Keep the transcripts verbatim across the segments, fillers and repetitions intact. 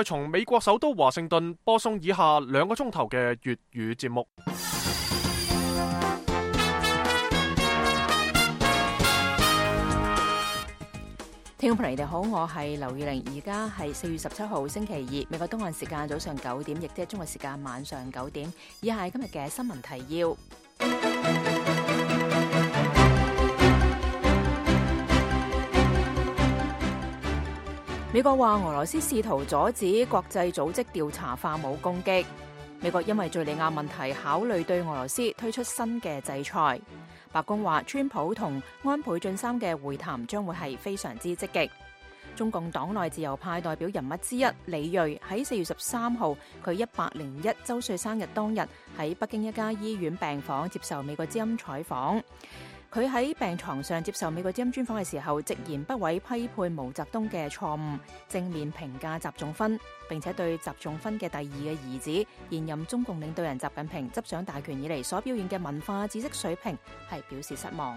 從美國首都華盛頓播送以下兩個鐘頭嘅粵語節目。聽眾朋友你哋好，我係劉宇玲，而家係四月十七號星期二，美國東岸時間早上九點，亦即係中國時間晚上九點。以下係今日嘅新聞提要。美國話俄羅斯試圖阻止國際組織調查化武攻擊。美國因為敘利亞問題考慮對俄羅斯推出新嘅制裁。白宮話川普同安倍晉三嘅會談將會係非常之積極。中共黨內自由派代表人物之一李銳喺四月十三號佢一百零一周歲生日當日喺北京一家醫院病房接受美國之音採訪。佢喺病床上接受美國之音專訪嘅時候，直言不諱批判毛澤東嘅錯誤，正面評價習仲勳，並且對習仲勳嘅第二嘅兒子現任中共領導人習近平執掌大權以嚟所表現嘅文化知識水平係表示失望。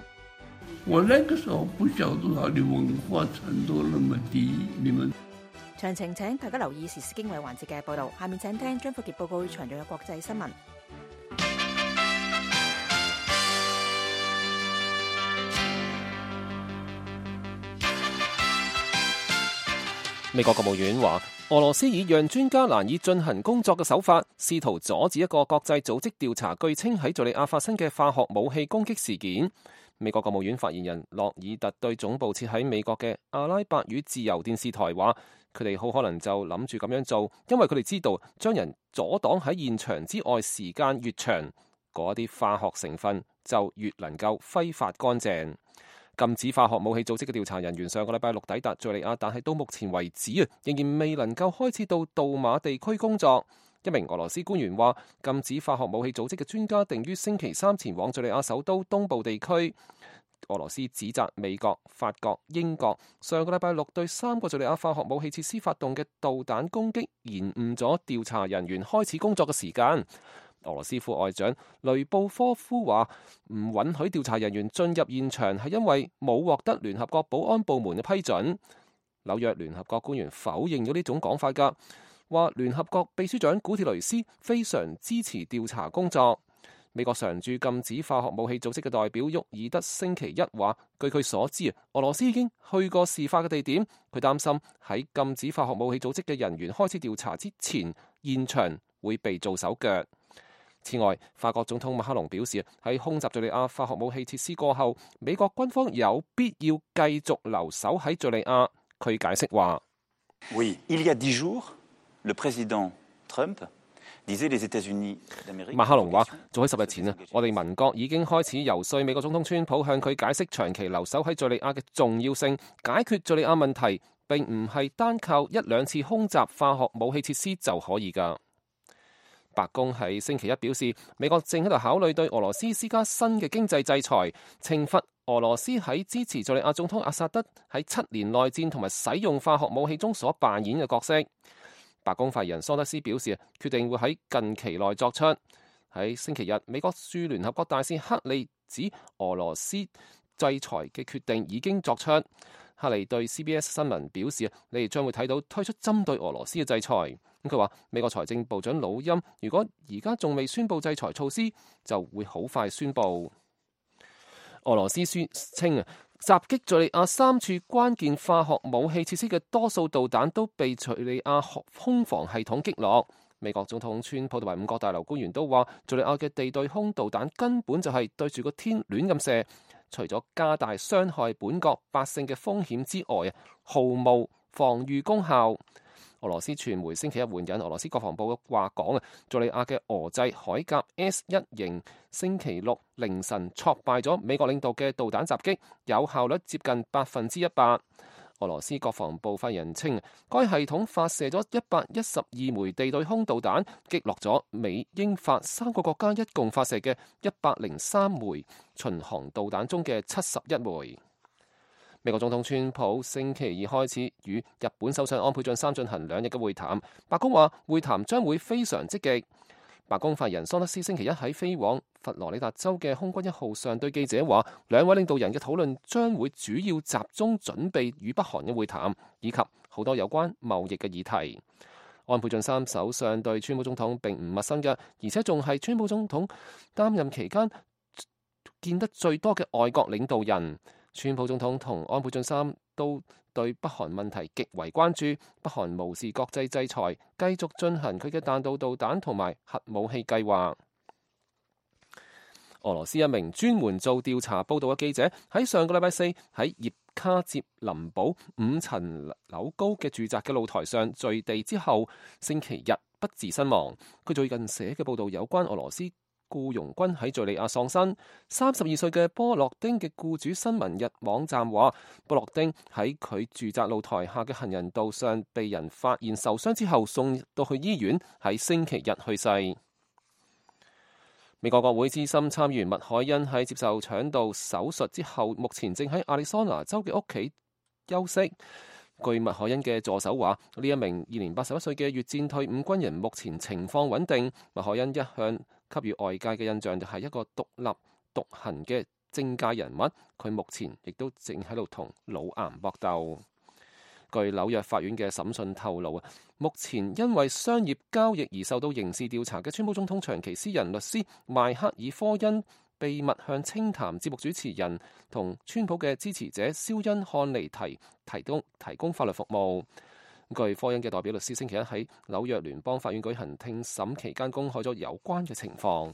我那個時候不曉得他的文化程度那麼低，你們詳情請大家留意時事經緯環節嘅報導。下面請聽張富傑報告詳盡嘅國際新聞。美國國務院話，俄羅斯以讓專家難以進行工作嘅手法，試圖阻止一個國際組織調查據稱喺敘利亞發生嘅化學武器攻擊事件。美國國務院發言人洛爾特對總部設喺美國嘅阿拉伯語自由電視台話，佢哋好可能就諗住咁樣做，因為佢哋知道將人阻擋喺現場之外時間越長，嗰啲化學成分就越能夠揮發乾淨。禁止化學武器組織嘅調查人員上個禮拜六抵達敘利亞，但係到目前為止啊，仍然未能夠開始到杜馬地區工作。一名俄羅斯官員話，禁止化學武器組織嘅專家定於星期三前往敘利亞首都東部地區。俄羅斯指責美國、法國、英國上個禮拜六對三個敘利亞化學武器設施發動嘅導彈攻擊，延誤咗調查人員開始工作嘅時間。俄羅斯副外長雷布科夫話，唔允許調查人員進入現場係因為冇獲得聯合國保安部門嘅批准。紐約聯合國官員否認咗呢種講法㗎，話聯合國秘書長古鐵雷斯非常支持調查工作。美國常駐禁止化學武器組織嘅代表沃爾德星期一話，據佢所知，俄羅斯已經去過事發嘅地點，佢擔心喺禁止化學武器組織嘅人員開始調查之前，現場會被做手腳。此外，法國總統馬克龍表示，喺空襲敘利亞化學武器設施過後，美國軍方有必要繼續留守喺敘利亞。佢解釋話：Oui, il y a dix jours, le président Trump disait les États-Unis d'Amérique。馬克龍話：早喺十日前啊，我哋民國已經開始游說美國總統川普向佢解釋長期留守喺敘利亞嘅重要性，解決敘利亞問題並唔係單靠一兩次空襲化學武器設施就可以㗎。白宮喺星期一表示，美國正喺度考慮對俄羅斯施加新嘅經濟制裁，懲罰俄羅斯喺支持敘利亞總統阿薩德喺七年內戰同埋使用化學武器中所扮演嘅角色。白宮發言人桑德斯表示，決定會喺近期內作出。喺星期日，美國駐聯合國大使克利指俄羅斯制裁嘅決定已經作出。克利對 C B S 新聞表示，你哋將會睇到推出針對俄羅斯嘅制裁。咁佢話，美國財政部長魯欽如果而家仲未宣布制裁措施，就會好快宣布。俄羅斯宣稱啊，襲擊敘利亞三處關鍵化學武器設施嘅多數導彈都被敘利亞空防系統擊落。美國總統川普同埋五角大樓官員都話，敘利亞嘅地對空導彈根本就係對住個天亂咁射，除咗加大傷害本國百姓嘅風險之外啊，毫無防禦功效。俄羅斯傳媒星期一援引俄羅斯國防部嘅話講啊，敘利亞嘅俄製海鴿 S 一型星期六凌晨挫敗咗美國領導嘅導彈襲擊，有效率接近百分之一百。俄羅斯國防部發言人稱，該系統發射咗一百一十二枚地對空導彈，擊落咗美英法三個國家一共發射嘅一百零三枚巡航導彈中嘅七十一枚。美國總統川普星期二開始與日本首相安倍晉三進行兩日嘅會談，白宮話會談將會非常積極。白宮發言人桑德斯星期一喺飛往佛羅里達州嘅空軍一號上對記者話，兩位領導人嘅討論將會主要集中準備與北韓嘅會談，以及好多有關貿易嘅議題。安倍晉三首相對川普總統並唔陌生嘅，而且仲係川普總統擔任期間見得最多嘅外國領導人。川普總統同安倍晉三都對北韓問題極為關注，北韓無視國際制裁，繼續進行佢嘅彈道導彈同埋核武器計劃。俄羅斯一名專門做調查報道嘅記者喺上個禮拜四喺葉卡捷林堡五層樓高嘅住宅嘅露台上墜地之後，星期日不治身亡。佢最近寫嘅報道有關俄羅斯僱傭軍喺敘利亞喪生。三十二歲嘅波洛丁嘅僱主新聞日網站話，波洛丁喺佢住宅露台下嘅行人道上被人發現受傷之後送到去醫院，喺星期日去世。美國國會資深參議員麥凱恩喺接受腸道手術之後，目前正喺亞利桑那州嘅屋企休息。據麥凱恩嘅助手話，呢一名現年八十一歲嘅越戰退伍軍人目前情況穩定。麥凱恩一向給予外界嘅印象就係一個獨立獨行嘅政界人物，佢目前亦都正喺度同腦癌搏鬥。據紐約法院嘅審訊透露啊，目前因為商業交易而受到刑事調查嘅川普總統長期私人律師邁克爾科恩，秘密向清談節目主持人同川普嘅支持者肖恩漢尼提提供提供法律服務。據科恩嘅代表律師星期一喺紐約聯邦法院舉行聽審期間公開咗有關嘅情況。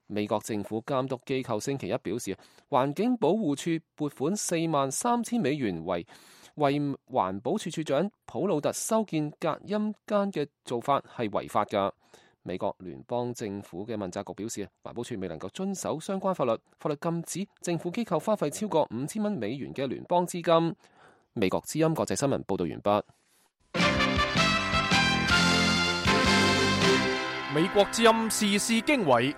美國政府監督機構星期一表示，環境保護署撥款四萬三千美元為為環保署署長普魯特修建隔音間嘅做法係違法㗎。美國聯邦政府嘅問責局表示，環保署未能夠遵守相關法律，法律禁止政府機構花費超過五千蚊美元嘅聯邦資金。美國之音國際新聞報道完畢。美國之音時事經緯，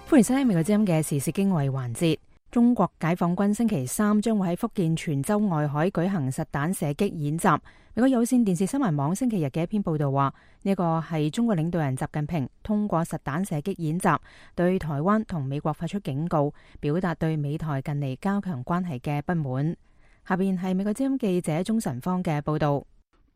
歡迎收聽美國之音嘅時事經緯環節。中國解放軍星期三將會喺福建泉州外海舉行實彈射擊演習。美國有線電視新聞網星期日嘅一篇報道話，呢個係中國領導人習近平通過實彈射擊演習，對台灣同美國發出警告，表達對美台近嚟加強關係嘅不滿。下邊係美國之音記者鍾晨芳嘅報道。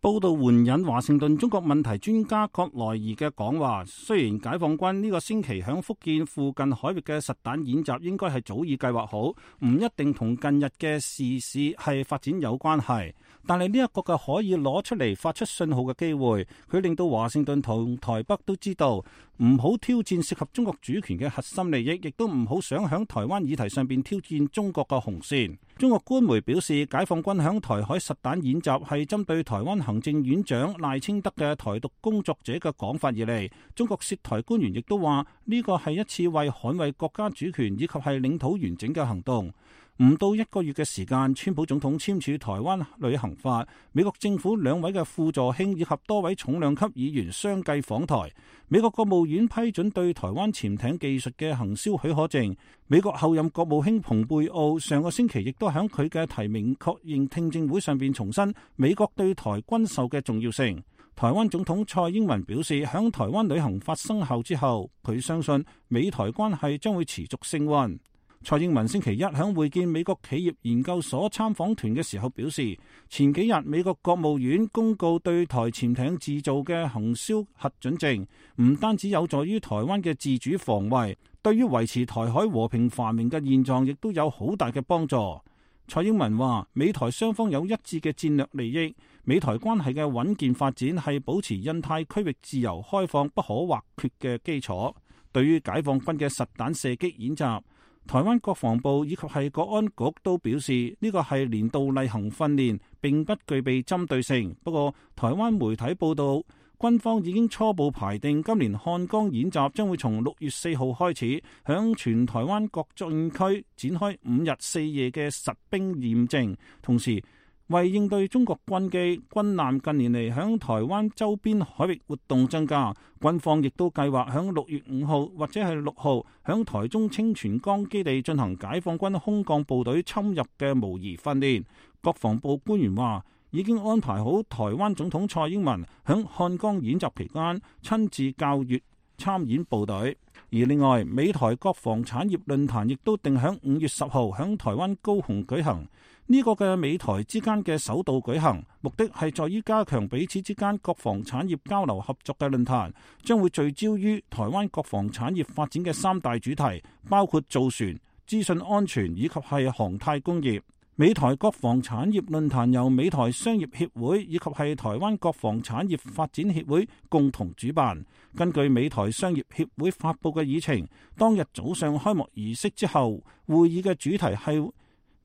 報道援引華盛頓中國問題專家葛萊爾嘅講話，雖然解放軍呢個星期響福建附近海域嘅實彈演習應該係早已計劃好，唔一定同近日嘅時事係發展有關係，但係呢一個嘅可以攞出嚟發出信號嘅機會，佢令到華盛頓同台北都知道唔好挑戰涉及中國主權嘅核心利益，亦都唔好想響台灣議題上邊挑戰中國嘅紅線。中國官媒表示，解放軍響台海實彈演習係針對台灣行政院長賴清德嘅台獨工作者嘅講法而嚟。中國涉台官員亦都話呢個係一次為捍衛國家主權以及係領土完整嘅行動。唔到一個月嘅時間，川普總統簽署台灣旅行法，美國政府兩位嘅副助卿以及多位重量級議員相繼訪台。美國國務院批准對台灣潛艇技術嘅行銷許可證。美國後任國務卿蓬佩奧上個星期亦都喺佢嘅提名確認聽證會上邊重申美國對台軍售嘅重要性。台灣總統蔡英文表示，響台灣旅行法生效之後，佢相信美台關係將會持續升溫。蔡英文星期一響會見美國企業研究所參訪團嘅時候表示，前幾日美國國務院公告對台潛艇製造嘅行銷核准證，唔單止有助於台灣嘅自主防衛，對於維持台海和平繁榮嘅現狀亦都有好大嘅幫助。蔡英文話，美台雙方有一致嘅戰略利益，美台關係嘅穩健發展係保持印太區域自由開放不可或缺嘅基礎。對於解放軍嘅實彈射擊演習，台灣國防部以及係國安局都表示呢個係年度例行訓練，並不具備針對性。不過台灣媒體報道，軍方已經初步排定今年漢江演習將會從六月四號開始，響全台灣各戰區展開五日四夜嘅實兵驗證，同時為應對中國軍機、軍艦近年嚟響台灣周邊海域活動增加，軍方亦都計劃響六月五號或者係六號響台中清泉崗基地進行解放軍空降部隊侵入嘅模擬訓練。國防部官員話，已經安排好台灣總統蔡英文響漢江演習期間親自教閱參演部隊。而另外，美台國防產業論壇亦都定響五月十號響台灣高雄舉行。呢個嘅美台之間嘅首度舉行，目的係在於加強彼此之間國防產業交流合作嘅論壇，將會聚焦於台灣國防產業發展嘅三大主題，包括造船、資訊安全以及係航太工業。美台國防產業論壇由美台商業協會以及係台灣國防產業發展協會共同主辦。根據美台商業協會發佈嘅議程，當日早上開幕儀式之後，會議嘅主題係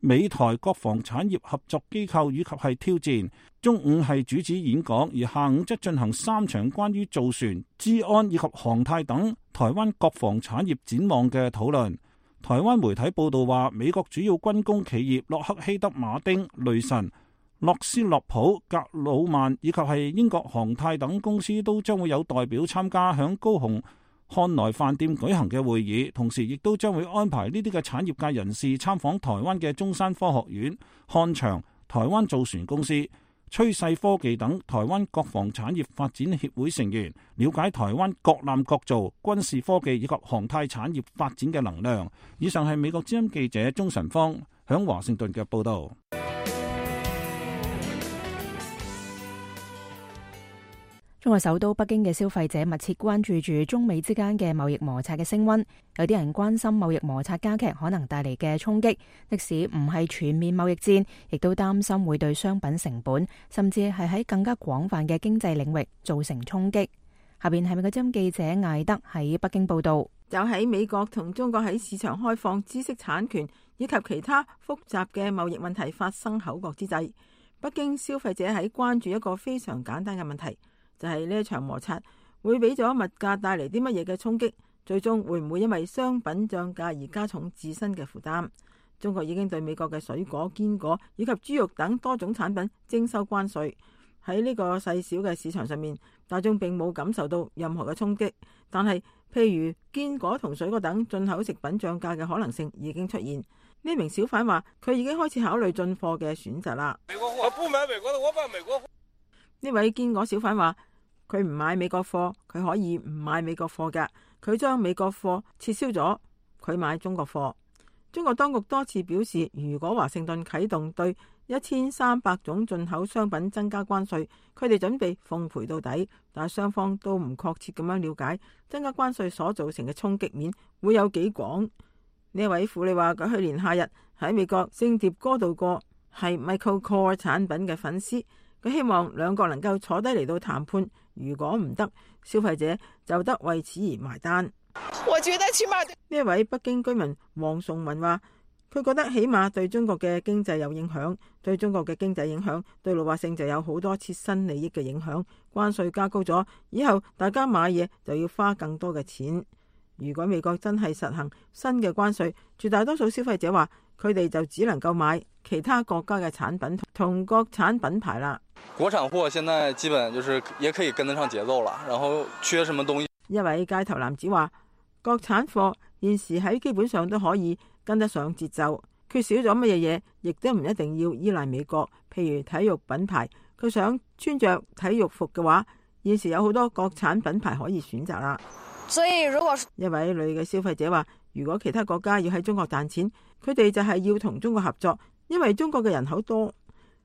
美台國防產業合作機構以及係挑戰。中午係主旨演講，而下午則進行三場關於造船、資安以及航太等台灣國防產業展望嘅討論。台灣媒體報道話，美國主要軍工企業洛克希德馬丁、雷神、諾斯洛普、格魯曼以及係英國航太等公司都將會有代表參加響高雄漢來飯店舉行嘅會議，同時亦都將會安排呢啲嘅產業界人士參訪台灣嘅中山科學院、漢翔、台灣造船公司、趨勢科技等台灣國防產業發展協會成員，了解台灣各艦各造、軍事科技以及航太產業發展嘅能量。以上係美國之音記者鍾晨芳響華盛頓嘅報道。中國首都北京嘅消費者密切關注住中美之間嘅貿易摩擦嘅升溫，有啲人關心貿易摩擦加劇可能帶嚟嘅衝擊，即使唔係全面貿易戰，亦都擔心會對商品成本，甚至係喺更加廣泛嘅經濟領域造成衝擊。下邊係美國之音記者艾德喺北京報道。就喺美國同中國喺市場開放、知識產權以及其他複雜嘅貿易問題發生口角之際，北京消費者喺關注一個非常簡單嘅問題。就係呢一場摩擦會俾咗物價帶嚟啲乜嘢嘅衝擊，最終會唔會因為商品漲價而加重自身嘅負擔？中國已經對美國嘅水果、堅果以及豬肉等多種產品徵收關稅，喺呢個細小嘅市場上面，大眾並冇感受到任何嘅衝擊。但係譬如堅果同水果等進口食品漲價嘅可能性已經出現。呢名小販話佢已經開始考慮進貨嘅選擇啦。美國貨，我不買美國的，我買美國貨。呢位堅果小販話佢唔買美國貨，佢可以唔買美國貨㗎，佢將美國貨撤銷咗，佢買中國貨。中國當局多次表示，如果華盛頓啟動對一千三百種進口商品增加關稅，佢哋準備奉陪到底。但係雙方都唔確切咁樣了解增加關稅所造成嘅衝擊面會有幾廣。呢位婦女話佢去年夏日喺美國聖迭戈度過，係 Michael Kors 產品嘅粉絲。佢希望兩國能夠坐低嚟到談判，如果唔得，消費者就得為此而埋單。我覺得起碼呢位北京居民黃崇文話，佢覺得起碼對中國嘅經濟有影響，對中國嘅經濟影響，對老百姓就有好多切身利益嘅影響。關稅加高咗，以後大家買嘢就要花更多嘅錢。如果美國真係實行新嘅關稅，絕大多數消費者話佢哋就只能夠買其他國家嘅產品同國產品牌啦。國產貨現在基本就是也可以跟得上節奏啦，然後缺什麼東西？一位街頭男子話，國產貨現時喺基本上都可以跟得上節奏，缺少咗乜嘢嘢，亦都唔一定要依賴美國。譬如體育品牌，佢想穿着體育服嘅話，現時有好多國產品牌可以選擇啦。所以如果一位女嘅消費者話，如果其他國家要喺中國賺錢，佢哋就係要同中國合作，因為中國嘅人口多。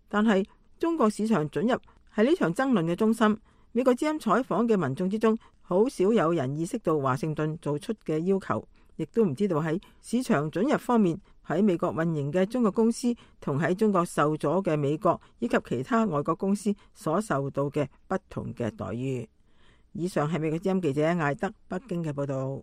但係中國市場准入係呢場爭論嘅中心。美國之音採訪嘅民眾之中，好少有人意識到華盛頓做出嘅要求，亦都唔知道喺市場准入方面，喺美國運營嘅中國公司同喺中國受阻嘅美國以及其他外國公司所受到嘅不同嘅待遇。以上係美國之音記者艾德北京嘅報道。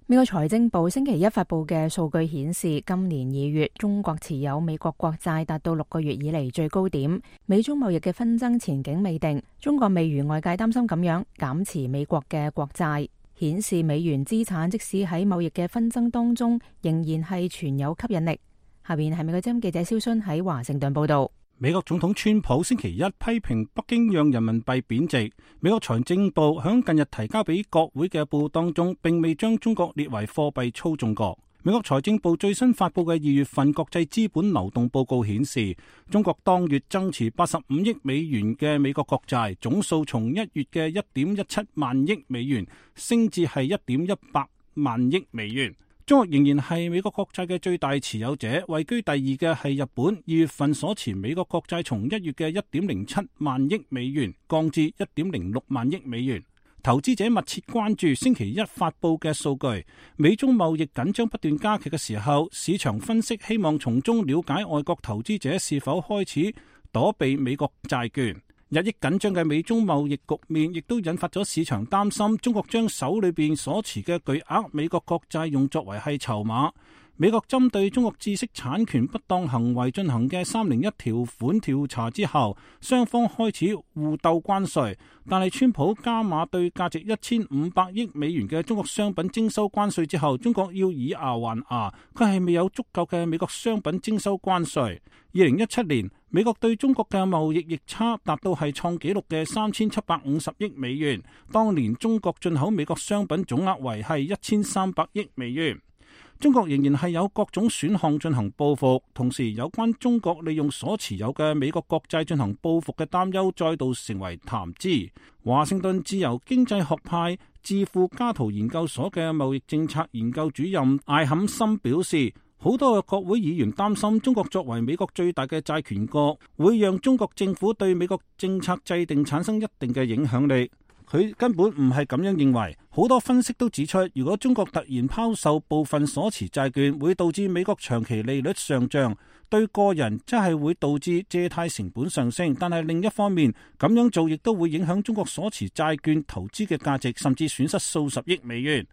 美國財政部星期一發布嘅數據顯示，今年二月中國持有美國國債達到六個月以嚟最高點。美中貿易嘅紛爭前景未定，中國未如外界擔心咁樣減持美國嘅國債，顯示美元資產即使喺貿易嘅紛爭當中，仍然係存有吸引力。下邊係美國之音記者蕭순喺華盛頓報道。美國總統川普星期一批評北京讓人民幣貶值。美國財政部響近日提交俾國會嘅報告當中，並未將中國列為貨幣操縱國。美國財政部最新發佈嘅二月份國際資本流動報告顯示，中國當月增持八十五億美元嘅美國國債，總數從一月嘅一點一七萬億美元升至係一點一八萬億美元。中國仍然係美國國債嘅最大持有者，位居第二嘅係日本。二月份所持美國國債從一月嘅一點零七萬億美元降至一點零六萬億美元。投資者密切關注星期一發佈嘅數據，美中貿易緊張不斷加劇嘅時候，市場分析希望從中了解外國投資者是否開始躲避美國債券。日益緊張嘅美中貿易局面亦都引發咗市場擔心，中國將手裏邊所持嘅巨額美國國債用作為係籌碼。美國針對中國知識產權不當行為進行嘅三零一條款調查之後，雙方開始互鬥關稅，但係川普加碼對價值一千五百億美元嘅中國商品徵收關稅之後，中國要以牙還牙，佢係未有足夠嘅美國商品徵收關稅。二零一七年，美國對中國嘅貿易逆差達到係創紀錄嘅三千七百五十億美元，當年中國進口美國商品總額為係一千三百億美元。中國仍然係有各種選項進行報復，同時有關中國利用所持有嘅美國國債進行報復嘅擔憂再度成為談資。華盛頓自由經濟學派智庫加圖研究所嘅貿易政策研究主任艾坎森表示，好多嘅國會議員擔心中國作為美國最大嘅債權國，會讓中國政府對美國政策制定產生一定嘅影響力。佢根本唔係咁樣認為，好多分析都指出，如果中國突然拋售部分所持債券，會導致美國長期利率上漲，對個人即係會導致借貸成本上升。但係另一方面，咁樣做亦都會影響中國所持債券投資嘅價值，甚至損失數十億美元。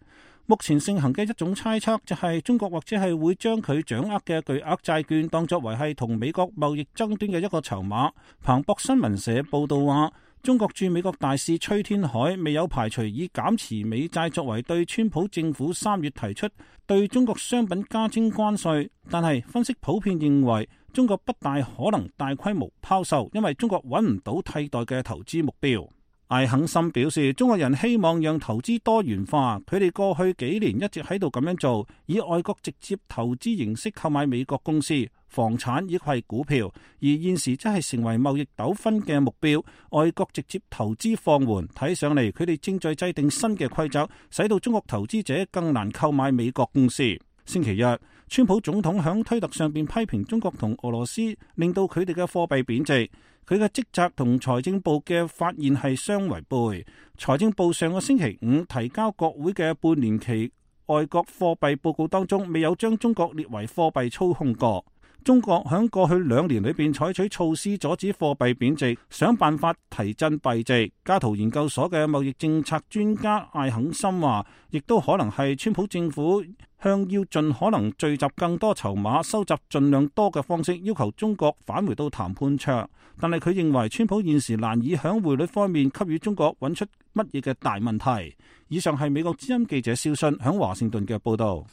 目前盛行嘅一種猜測就係中國或者係會將佢掌握嘅巨額債券當作為係同美國貿易爭端嘅一個籌碼。彭博新聞社報道話，中國駐美國大使崔天凱未有排除以減持美債作為對川普政府三月提出對中國商品加徵關稅，但係分析普遍認為中國不大可能大規模拋售，因為中國揾唔到替代嘅投資目標。艾肯森表示，中國人希望讓投資多元化，佢哋過去幾年一直喺度咁樣做，以外國直接投資形式購買美國公司、房產以及係股票，而現時則係成為貿易糾紛嘅目標。外國直接投資放緩，睇上嚟佢哋正在制定新嘅規則，使到中國投資者更難購買美國公司。星期日，川普總統響推特上邊批評中國同俄羅斯，令到佢哋嘅貨幣貶值。佢嘅職責同財政部嘅發現係相違背。財政部上個星期五提交國會嘅半年期外國貨幣報告當中，未有將中國列為貨幣操控國。中國喺過去兩年裏邊採取措施阻止貨幣貶值，想辦法提振幣值。加圖研究所嘅貿易政策專家艾肯森話，亦都可能係川普政府向要盡可能聚集更多籌碼、收集盡量多嘅方式，要求中國返回到談判桌。但係佢認為，川普現時難以喺匯率方面給予中國揾出乜嘢嘅大問題。以上係美國之音記者蕭信喺華盛頓嘅報導。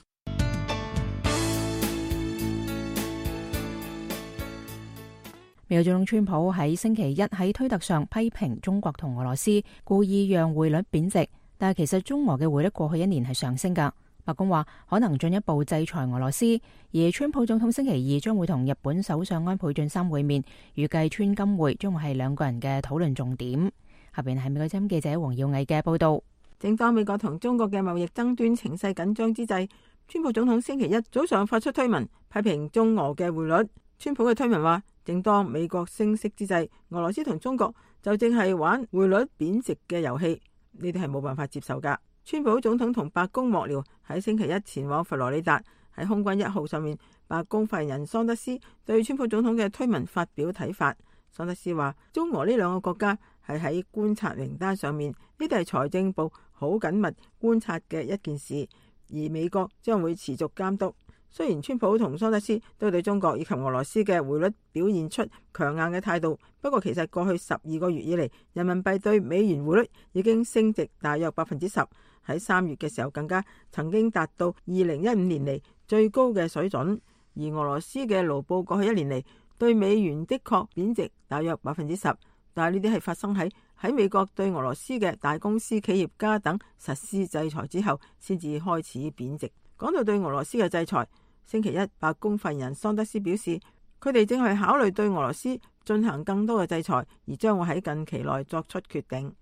美國總統川普喺星期一喺推特上批評中國同俄羅斯故意讓匯率貶值，但係其實中俄嘅匯率過去一年係上升㗎。白宮話可能進一步制裁俄羅斯，而川普總統星期二將會同日本首相安倍晉三會面，預計川金會將會係兩個人嘅討論重點。下邊係美國之音記者黃耀毅嘅報道。正當美國同中國嘅貿易爭端情勢緊張之際，川普總統星期一早上發出推文批評中俄嘅匯率。川普嘅推文話，正當美國升息之際，俄羅斯同中國就正係玩匯率貶值嘅遊戲，呢啲係冇辦法接受噶。川普總統同白宮幕僚喺星期一前往佛羅里達，喺空軍一號上面，白宮發言人桑德斯對川普總統嘅推文發表睇法。桑德斯話，中俄呢兩個國家係喺觀察名單上面，呢啲係財政部好緊密觀察嘅一件事，而美國將會持續監督。雖然川普同桑德斯都對中國以及俄羅斯嘅匯率表現出強硬嘅態度，不過其實過去十二個月以嚟，人民幣對美元匯率已經升值大約百分之十，喺三月嘅時候更加曾經達到二零一五年嚟最高嘅水準。而俄羅斯嘅盧布過去一年嚟對美元的確貶值大約百分之十，但係呢啲係發生喺喺美國對俄羅斯嘅大公司企業家等實施制裁之後先至開始貶值。講到對俄羅斯嘅制裁，星期一白宮發言人桑德斯表示，佢哋正係考慮對俄羅斯進行更多嘅制裁，而將會喺近期內作出決定。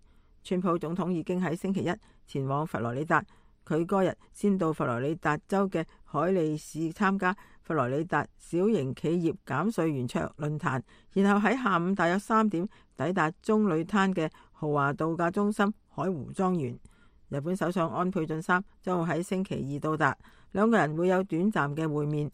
川普總統已經喺星期一前往佛羅里達，佢嗰日先到佛羅里達州嘅海利市參加佛羅里達小型企業減稅圓桌論壇，然後喺下午大約三點抵達棕櫚灘嘅豪華度假中心海湖莊園。日本首相安倍晉三將會喺星期二到達，兩個人會有短暫嘅會面。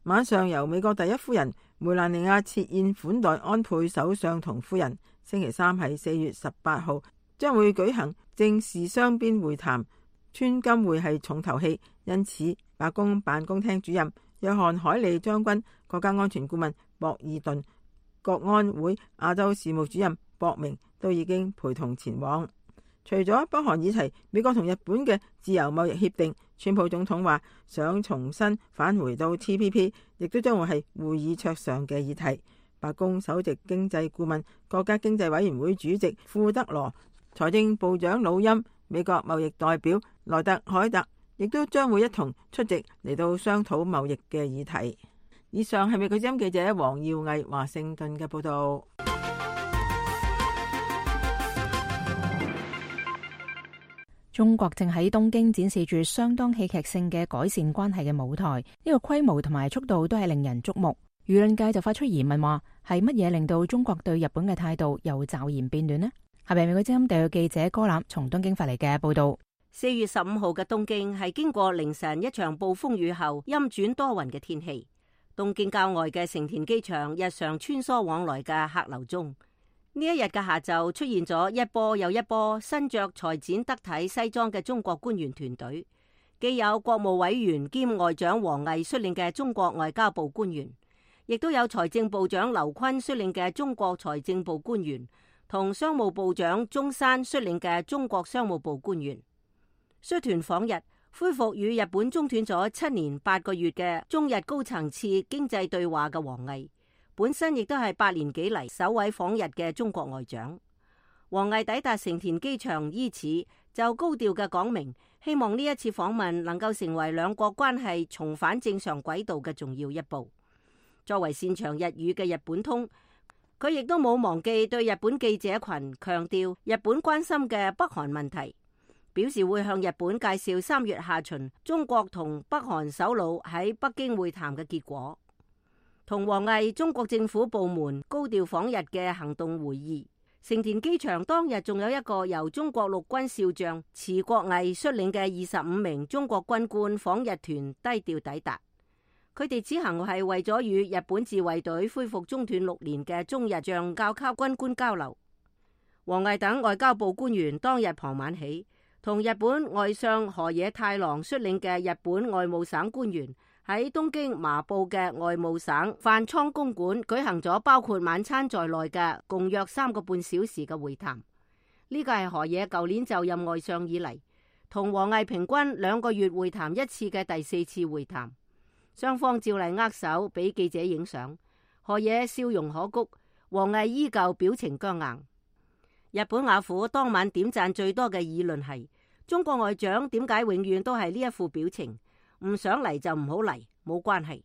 晚上由美國第一夫人梅蘭妮亞設宴款待安倍首相同夫人。星期三係四月十八號，將會舉行正式雙邊會談。川金會係重頭戲，因此白宮辦公廳主任約翰海利將軍、國家安全顧問博爾頓、國安會亞洲事務主任博明都已經陪同前往。除咗北韓議題，美國同日本嘅自由貿易協定，川普總統話想重新返回到 T P P， 亦都將會係會議桌上嘅議題。白宮首席經濟顧問、國家經濟委員會主席庫德羅、財政部長魯欽、美國貿易代表萊特海特亦都將會一同出席嚟到商討貿易嘅議題。以上係美國之音記者黃耀毅華盛頓嘅報道。中國正喺東京展示住相當戲劇性嘅改善關係嘅舞台，呢個規模同埋速度都係令人矚目。輿論界就發出疑問話，係乜嘢令到中國對日本嘅態度又驟然變暖呢？下邊美國之音特約記者柯南從東京發嚟嘅報道。四月十五號嘅東京係經過凌晨一場暴風雨後陰轉多雲嘅天氣。東京郊外嘅成田機場日常穿梭往來嘅客流中，呢一日嘅下晝出現咗一波又一波身着裁剪得體西裝嘅中國官員團隊，既有國務委員兼外長王毅率領嘅中國外交部官員，亦都有財政部長劉昆率領嘅中國財政部官員，同商務部長中山率領嘅中國商務部官員。率團訪日，恢復與日本中斷咗七年八個月嘅中日高層次經濟對話嘅王毅，本身亦都係八年幾嚟首位訪日嘅中國外長。王毅抵達成田機場伊始，就高調嘅講明，希望呢一次訪問能夠成為兩國關係重返正常軌道嘅重要一步。作為擅長日語嘅日本通，佢亦都冇忘記對日本記者群強調日本關心嘅北韓問題，表示會向日本介紹三月下旬中國同北韓首腦喺北京會談嘅結果。同王毅中國政府部門高調訪日嘅行動會議，成田機場當日仲有一個由中國陸軍少將池國毅率領嘅二十五名中國軍官訪日團低調抵達。佢哋此行係為咗與日本自衛隊恢復中斷六年嘅中日將校級軍官交流。王毅等外交部官員當日傍晚起，同日本外相河野太郎率領嘅日本外務省官員喺東京麻布嘅外務省飯倉公館舉行咗包括晚餐在內嘅共約三個半小時嘅會談。呢個係河野舊年就任外相以嚟同王毅平均兩個月會談一次嘅第四次會談。雙方照例握手俾記者影相，河野笑容可掬，王毅依舊表情僵硬。日本雅虎當晚點讚最多嘅議論係：中國外長點解永遠都係呢一副表情？唔想嚟就唔好嚟，冇關係。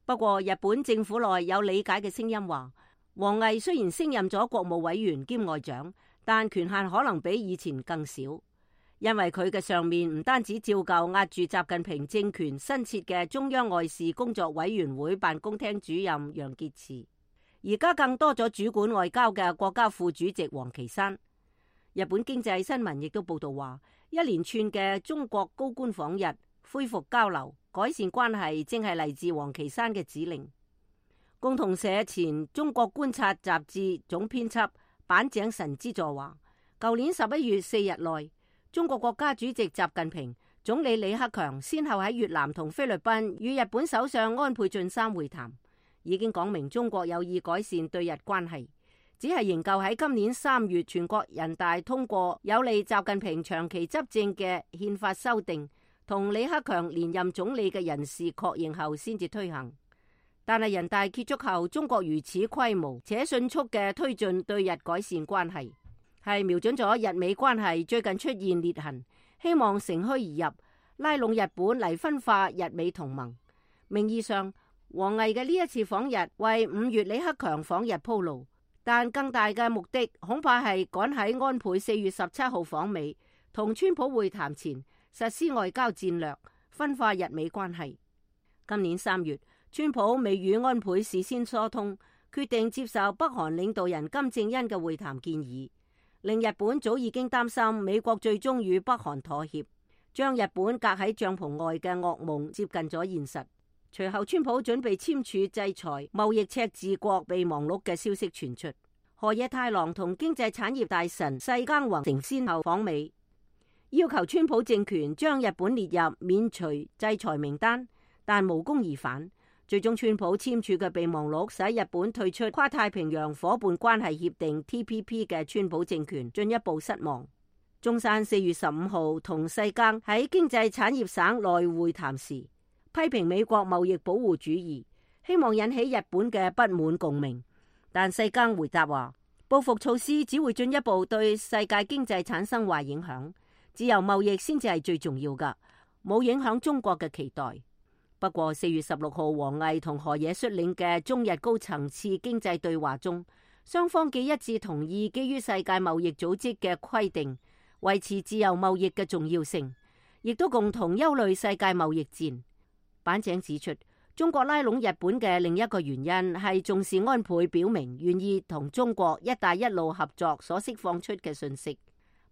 不過日本政府內有理解嘅聲音話，王毅雖然升任咗國務委員兼外長，但權限可能比以前更少，因為佢嘅上面唔單止照舊壓住習近平政權新設嘅中央外事工作委員會辦公廳主任楊潔篪，而家更多咗主管外交嘅國家副主席王岐山。日本經濟新聞亦都報道話，一連串嘅中國高官訪日，恢復交流、改善關係，正係嚟自王岐山嘅指令。共同社前中國觀察雜誌總編輯板井神之助話，舊年十一月四日內，中國國家主席習近平、總理李克強先後喺越南同菲律賓與日本首相安倍晉三會談，已經講明中國有意改善對日關係，只係仍舊喺今年三月全國人大通過有利習近平長期執政嘅憲法修訂，同李克強連任總理嘅人事確認後先至推行。但係人大結束後，中國如此規模且迅速嘅推進對日改善關係，係瞄準咗日美關係最近出現裂痕，希望乘虛而入，拉攏日本嚟分化日美同盟。名義上，王毅嘅呢一次訪日為五月李克強訪日鋪路，但更大嘅目的恐怕係趕喺安倍四月十七號訪美同川普會談前，實施外交戰略，分化日美關係。今年三月，川普未與安倍事先疏通，決定接受北韓領導人金正恩嘅會談建議，令日本早已經擔心美國最終與北韓妥協，將日本隔喺帳篷外嘅噩夢接近咗現實。隨後，川普準備簽署制裁貿易赤字國備忘錄嘅消息傳出。河野太郎同經濟產業大臣世耕弘成先後訪美，要求川普政權將日本列入免除制裁名單，但無功而返。最終，川普簽署嘅備忘錄使日本退出跨太平洋夥伴關係協定 T P P 嘅川普政權進一步失望。中山四月十五號同世耕喺經濟產業省內會談時，批評美國貿易保護主義，希望引起日本嘅不滿共鳴。但世耕回答話，報復措施只會進一步對世界經濟產生壞影響，自由貿易先至係最重要㗎，冇影響中國嘅期待。不過四月十六號，王毅同河野率領嘅中日高層次經濟對話中，雙方既一致同意基於世界貿易組織嘅規定，維持自由貿易嘅重要性，亦都共同憂慮世界貿易戰。板井指出，中國拉攏日本嘅另一個原因係重視安倍表明願意同中國一帶一路合作所釋放出嘅訊息。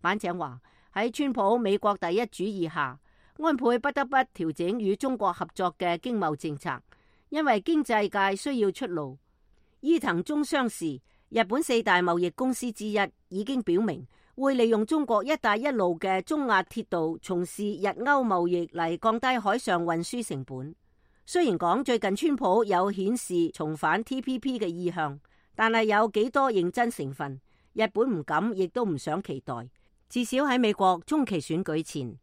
板井話，喺川普美國第一主義下，安倍不得不調整與中國合作嘅經貿政策，因為經濟界需要出路。伊藤忠商事，日本四大貿易公司之一，已經表明會利用中國一帶一路嘅中亞鐵道從事日歐貿易嚟降低海上運輸成本。雖然講最近川普有顯示重返 T P P 嘅意向，但係有幾多認真成分，日本唔敢亦都唔想期待。至少喺美國中期選舉前，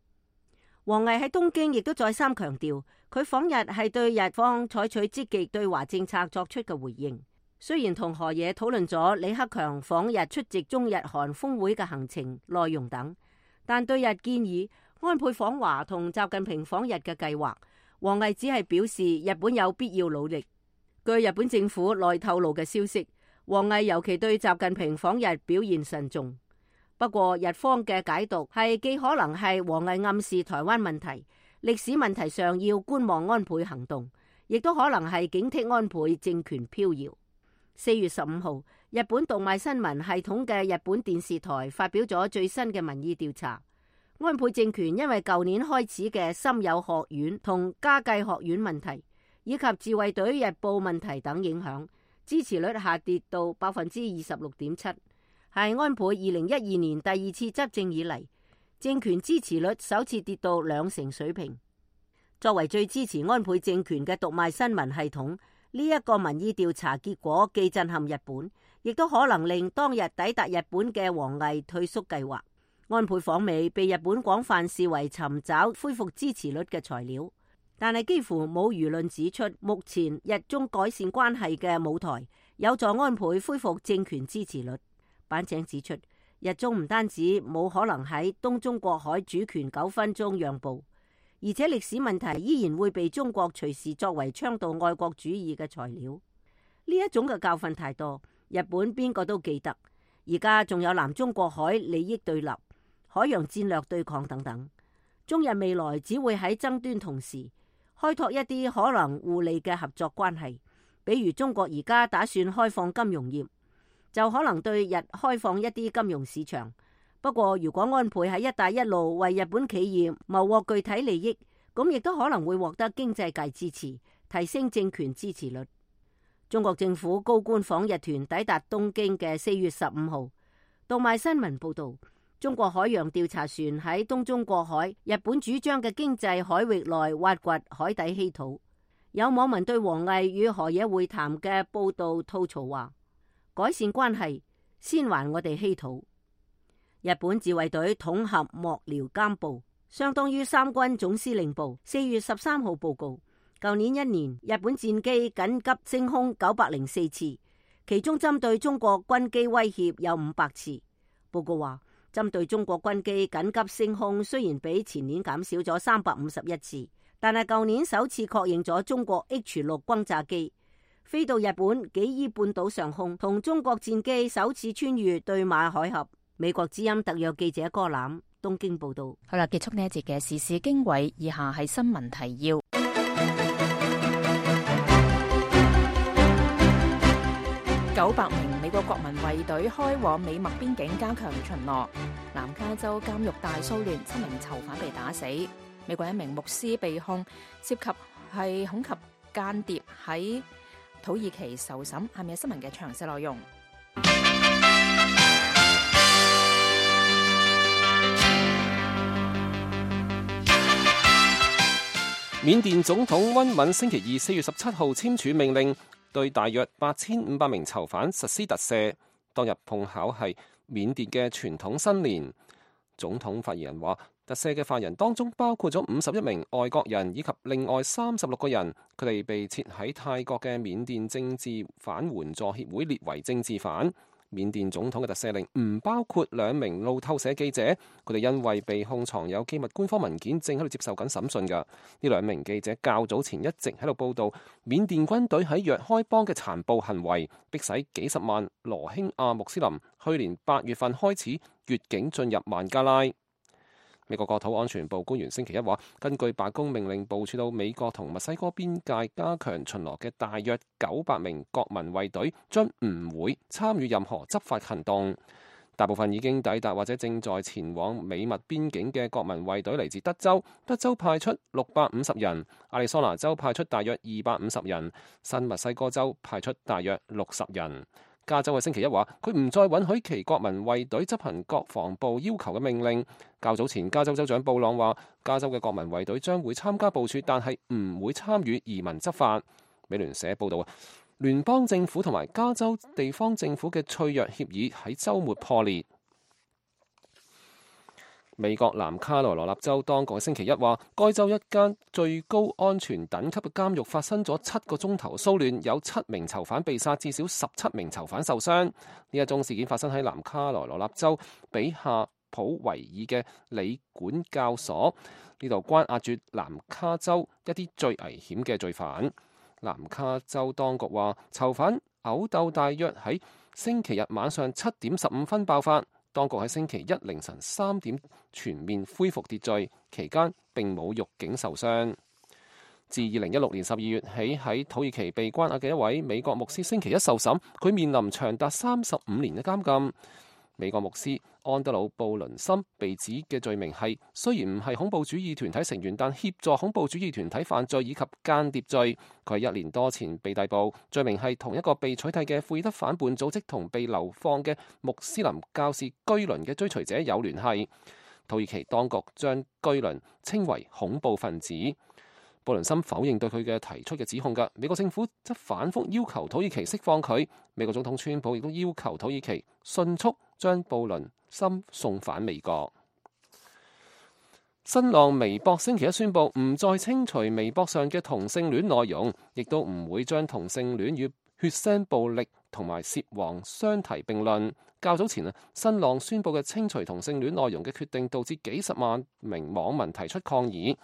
王毅喺東京亦都再三強調，佢訪日係對日方採取積極對華政策作出嘅回應。雖然同河野討論咗李克強訪日出席中日韓峰會嘅行程內容等，但對日建議安倍訪華同習近平訪日嘅計劃，王毅只係表示日本有必要努力。據日本政府內透露嘅消息，王毅尤其對習近平訪日表現慎重。不過日方嘅解讀係既可能係王毅暗示台灣問題、歷史問題上要觀望安倍行動，亦都可能係警惕安倍政權飄搖。四月十五號，日本讀賣新聞系統嘅日本電視台發表咗最新嘅民意調查。安倍政權因為舊年開始嘅森友學院同加計學院問題，以及自衛隊日報問題等影響，支持率下跌到百分之二十六點七，係安倍二零一二年第二次執政以嚟，政權支持率首次跌到兩成水平。作為最支持安倍政權嘅讀賣新聞系統，呢一個民意調查結果既震撼日本，亦都可能令當日抵達日本嘅王毅退縮計劃。安倍訪美被日本廣泛視為尋找恢復支持率嘅材料，但係幾乎冇輿論指出目前日中改善關係嘅舞台有助安倍恢復政權支持率。板井指出，日中唔單止冇可能喺東中國海主權糾紛中讓步，而且歷史問題依然會被中國隨時作為倡導愛國主義嘅材料。呢一種嘅教訓太多，日本邊個都記得。而家仲有南中國海利益對立、海洋戰略對抗等等，中日未來只會喺爭端同時開拓一啲可能互利嘅合作關係。比如中國而家打算開放金融業，就可能對日開放一啲金融市場。不過如果安倍喺一帶一路為日本企業謀獲具體利益，咁亦都可能會獲得經濟界支持，提升政權支持率。中國政府高官訪日團抵達東京嘅四月十五號，讀賣新聞報道，中國海洋調查船喺東中國海日本主張嘅經濟海域內挖掘海底稀土。有網民對王毅與河野會談嘅報道吐槽話，改善關係先還我哋稀土。日本自衛隊統合幕僚監部，相當於三軍總司令部，四月十三號報告，舊年一年日本戰機緊急升空九百零四次，其中針對中國軍機威脅有五百次。報告話，針對中國軍機緊急升空雖然比前年減少咗三百五十一次，但係舊年首次確認咗中國 H 六轟炸機飛到日本紀伊半島上空，同中國戰機首次穿越對馬海峽。美國之音特約記者柯攬東京報道。好啦，結束呢一節嘅時事經緯，以下係新聞提要。九百名美國國民衛隊開往美墨邊境加強巡邏。南加州監獄大騷亂，七名囚犯被打死。美國一名牧師被控涉及係恐及間諜喺土耳其受審。下面係新聞嘅詳細內容。緬甸總統温敏星期二四月十七號簽署命令，對大約八千五百名囚犯實施特赦。當日碰巧係緬甸嘅傳統新年。總統發言人話，特赦嘅犯人當中包括咗五十一名外國人以及另外三十六個人，佢哋被設喺泰國嘅緬甸政治犯援助協會列為政治犯。緬甸總統嘅特赦令唔包括兩名路透社記者，佢哋因為被控藏有機密官方文件，正喺度接受緊審訊㗎。呢兩名記者較早前一直喺度報導緬甸軍隊喺若開邦嘅殘暴行為，迫使幾十萬羅興亞穆斯林去年八月份開始越境進入孟加拉。美國國土安全部官員星期一話，根據白宮命令，部署到美國同墨西哥邊界加強巡邏嘅大約九百名國民衛隊將唔會參與任何執法行動。大部分已經抵達或者正在前往美墨邊境嘅國民衛隊嚟自德州，德州派出六百五十人，亞利桑那州派出大約二百五十人，新墨西哥州派出大約六十人。加州喺星期一話，佢唔再允許其國民衛隊執行國防部要求嘅命令。較早前，加州州長布朗話，加州嘅國民衛隊將會參加部署，但係唔會參與移民執法。美聯社報道，聯邦政府同埋加州地方政府嘅脆弱協議喺週末破裂。美國南卡羅來納州當局星期一話，該州一間最高安全等級嘅監獄發生咗七個鐘頭騷亂，有七名囚犯被殺，至少十七名囚犯受傷。呢一宗事件發生喺南卡羅來納州比夏普維爾嘅理管教所，呢度關押住南卡州一啲最危險嘅罪犯。南卡州當局話，囚犯毆鬥大約喺星期日晚上七點十五分爆發。當局喺星期一凌晨三點全面恢復秩序，期間並冇獄警受傷。自二零一六年十二月起喺土耳其被關押嘅一位美國牧師星期一受審，佢面臨長達三十五年嘅監禁。美國牧師安德魯布倫森被指嘅罪名係，雖然唔係恐怖主義團體成員，但協助恐怖主義團體犯罪以及間諜罪。佢係一年多前被逮捕，罪名係同一個被取締嘅庫爾德反叛組織同被流放嘅穆斯林教士居倫嘅追隨者有聯繫。土耳其當局將居倫稱為恐怖分子。布倫森否認對佢嘅提出嘅指控㗎，美國政府則反覆要求土耳其釋放佢。美國總統川普亦都要求土耳其迅速將布倫森送返美國。新浪微博星期一宣布唔再清除微博上嘅同性戀內容，亦都唔會將同性戀與血腥暴力同埋涉黃相提並論。較早前啊，新浪宣布嘅清除同性戀內容嘅決定，導致幾十萬名網民提出抗議。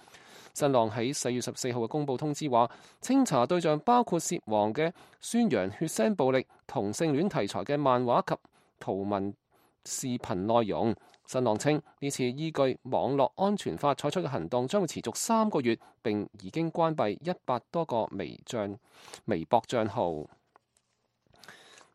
新浪喺四月十四號嘅公佈通知話，清查對象包括涉黃嘅宣揚血腥暴力、同性戀題材嘅漫畫及圖文視頻內容。新浪稱呢次依據網絡安全法採取嘅行動將會持續三個月，並已經關閉一百多個微賬微博帳號。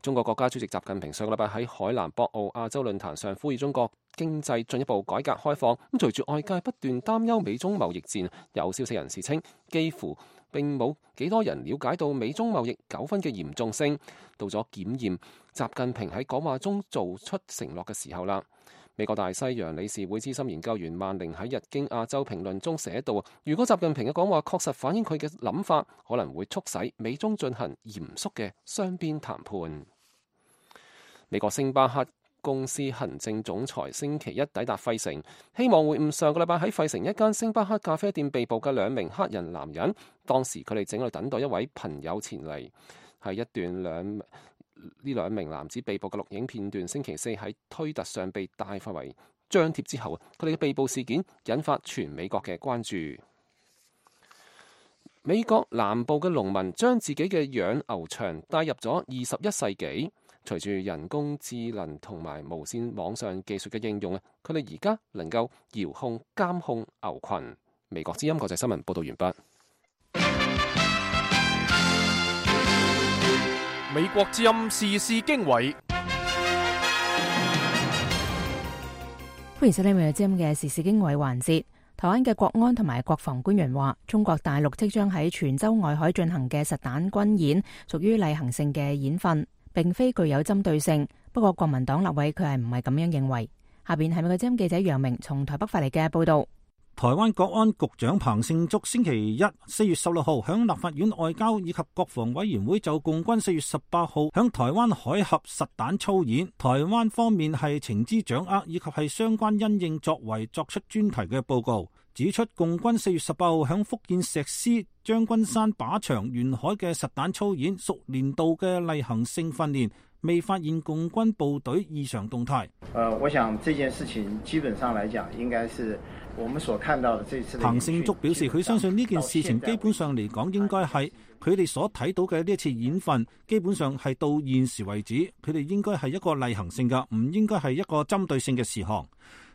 中國國家主席習近平上個禮拜喺海南博鰲亞洲論壇上呼籲中國經濟進一步改革開放。咁隨住外界不斷擔憂美中貿易戰，有消息人士稱幾乎並冇幾多人了解到美中貿易糾紛嘅嚴重性。到咗檢驗習近平喺講話中做出承諾嘅時候啦。美國大西洋理事會資深研究員萬寧喺日經亞洲評論中寫道，如果習近平嘅講話確實反映佢嘅諗法，可能會促使美中進行嚴肅嘅雙邊談判。美國星巴克公司行政總裁星期一抵達費城，希望會晤上個禮拜喺費城一間星巴克咖啡店被捕嘅兩名黑人男人。當時佢哋正喺度等待一位朋友前嚟。係一段兩呢兩名男子被捕嘅錄影片段，星期四喺推特上被大範圍張貼之後，佢哋嘅被捕事件引發全美國嘅關注。美國南部嘅農民將自己嘅養牛場帶入咗二十一世紀。隨住人工智能同埋無線網上技術嘅應用啊，佢哋而家能夠遙控監控牛群。美國之音國際新聞報道完畢。美國之音時事經緯，歡迎收聽美國之音嘅時事經緯環節。台灣嘅國安同埋國防官員話，中國大陸即將喺泉州外海進行嘅實彈軍演屬於例行性嘅演訓，並非具有針對性。不過國民黨立委佢係唔係咁樣認為。下邊係美國之音記者楊明從台北發嚟嘅報道。台灣國安局長彭勝竹星期一四月十六號響立法院外交以及國防委員會就共軍四月十八號響台灣海峽實彈操演，台灣方面係情資掌握以及係相關因應作為作出專題嘅報告，指出共軍四月十八號響福建石獅、將軍山、靶場沿海嘅實彈操演屬年度嘅例行性訓練，未發現共軍部隊異常動態。呃，我想這件事情基本上來講，應該是我們所看到的這次的。彭勝竹表示，佢相信呢件事情基本上嚟講，應該係佢哋所睇到嘅呢一次演訓，基本上係到現時為止，佢哋應該係一個例行性嘅，唔應該係一個針對性嘅事項。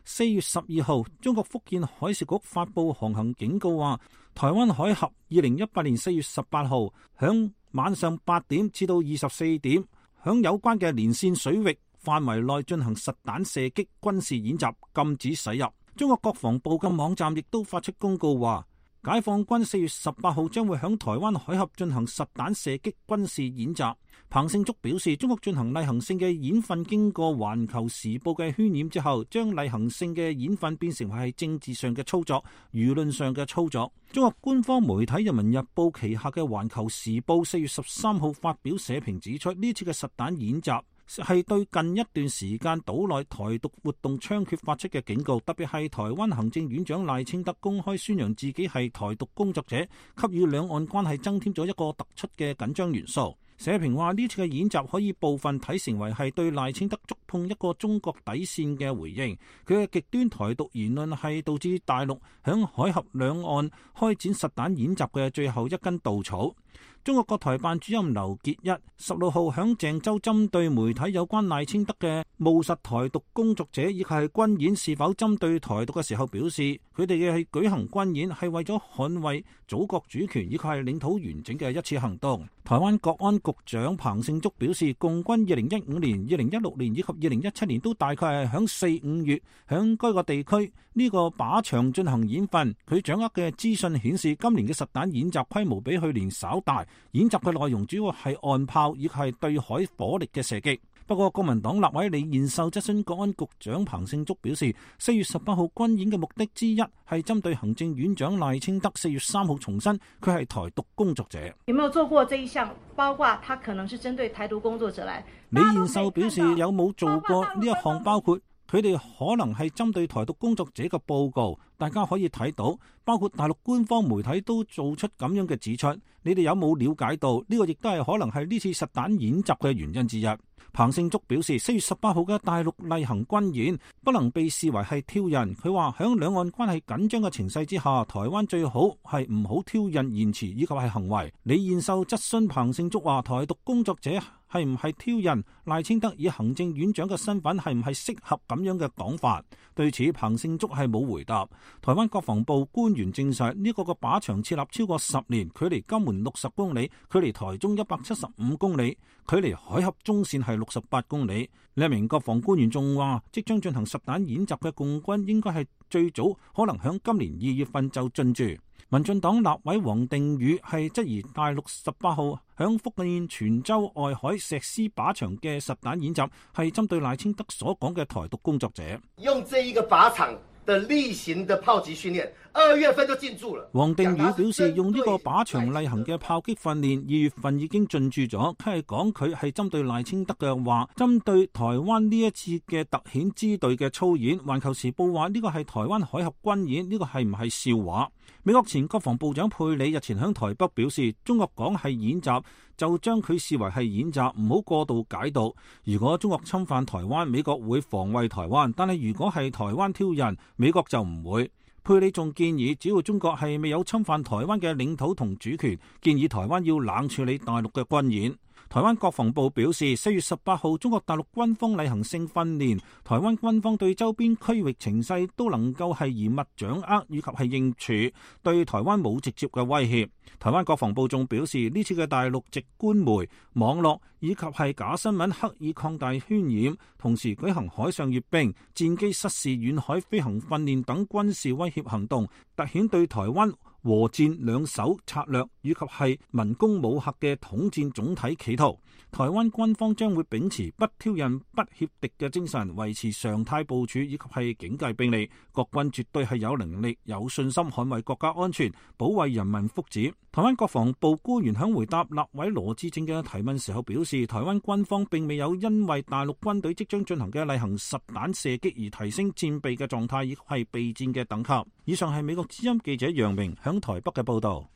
四月十二號，中國福建海事局發布航行警告話，台灣海峽二零一八年四月十八號響晚上八點至到二十四點，響有關嘅連線水域範圍內進行實彈射擊軍事演習，禁止駛入。中國國防部嘅網站亦都發出公告話，解放軍四月十八號將會響台灣海峽進行實彈射擊軍事演習。彭勝竹表示，中國進行例行性嘅演訓，經過環球時報嘅渲染之後，將例行性嘅演訓變成為係政治上嘅操作、輿論上嘅操作。中國官方媒體人民日報旗下嘅環球時報四月十三號發表社評指出，呢次嘅實彈演習係對近一段時間島內台獨活動猖獗發出嘅警告，特別係台灣行政院長賴清德公開宣揚自己係台獨工作者，給予兩岸關係增添咗一個突出嘅緊張元素。社評話，呢次嘅演習可以部分睇成為係對賴清德觸碰一個中國底線嘅回應，佢嘅極端台獨言論係導致大陸響海峽兩岸開展實彈演習嘅最後一根稻草。中國國台辦主任劉結一十六號響鄭州針對媒體有關賴清德嘅務實台獨工作者以及係軍演是否針對台獨嘅時候表示，佢哋嘅係舉行軍演係為咗捍衛祖國主權以及係領土完整嘅一次行動。台灣國安局長彭勝竹表示，共軍二零一五年、二零一六年以及二零一七年都大概係響四五月響該個地區呢個靶場進行演訓。佢掌握嘅資訊顯示，今年嘅實彈演習規模比去年稍大，演習嘅內容主要係岸炮以及係對海火力嘅射擊。不過，國民黨立委李彥秀質詢國安局長彭勝竹表示，四月十八號軍演嘅目的之一係針對行政院長賴清德。四月三號重申佢係台獨工作者。有沒有做過這一項？包括他可能是針對台獨工作者來。李彥秀表示，有冇做過呢一項？包括佢哋可能係針對台獨工作者嘅報告，大家可以睇到，包括大陸官方媒體都做出咁樣嘅指出。你哋有冇了解到呢個亦都係可能係呢次實彈演習嘅原因之一？彭勝竹表示，四月十八號嘅大陸例行軍演不能被視為係挑釁。佢話響兩岸關係緊張嘅情勢之下，台灣最好係唔好挑釁言辭以及係行為。李彥秀質詢彭勝竹話，台獨工作者係唔係挑釁？賴清德以行政院長嘅身份係唔係適合咁樣嘅講法？對此，彭勝竹係冇回答。台灣國防部官員證實，呢、這個個靶場設立超過十年，距離金門六十公里，距離台中一百七十五公里，距離海峽中線係六十八公里。另一名國防官員仲話，即將進行實彈演習嘅共軍應該係最早可能響今年二月份就進駐。民進黨立委王定宇係質疑大陸十八號響福建泉州外海石獅靶場嘅實彈演習係針對賴清德所講嘅台獨工作者。用這一個靶場的例行的炮擊訓練，二月份就進駐了。王定宇表示，用呢個靶場例行嘅炮擊訓練，二月份已經進駐咗。佢係講佢係針對賴清德嘅話，針對台灣呢一次嘅特遣支隊嘅操演。環球時報話呢個係台灣海峽軍演，呢個係唔係笑話？美國前國防部長佩里日前響台北表示，中國講係演習，就將佢視為係演習，唔好過度解讀。如果中國侵犯台灣，美國會防衛台灣，但係如果係台灣挑釁，美國就唔會。佩里仲建議，只要中國係未有侵犯台灣嘅領土同主權，建議台灣要冷處理大陸嘅軍演。台灣國防部表示，四月十八號中國大陸軍方例行性訓練，台灣軍方對周邊區域情勢都能夠係嚴密掌握以及係應處，對台灣冇直接嘅威脅。台灣國防部仲表示，呢次嘅大陸籍官媒、網絡以及係假新聞刻意擴大渲染，同時舉行海上閱兵、戰機失事遠海飛行訓練等軍事威脅行動，凸顯對台灣和戰兩手策略以及係文攻武嚇嘅統戰總體企圖。台灣軍方將會秉持不挑釁、不協敵嘅精神，維持常態部署以及係警戒兵力。國軍絕對係有能力、有信心捍衛國家安全、保衛人民福祉。台灣國防部官員響回答立委羅致政嘅提問時候表示，台灣軍方並未有因為大陸軍隊即將進行嘅例行實彈射擊而提升戰備嘅狀態，亦係備戰嘅等級。以上係美國之音記者楊明響台北嘅報道。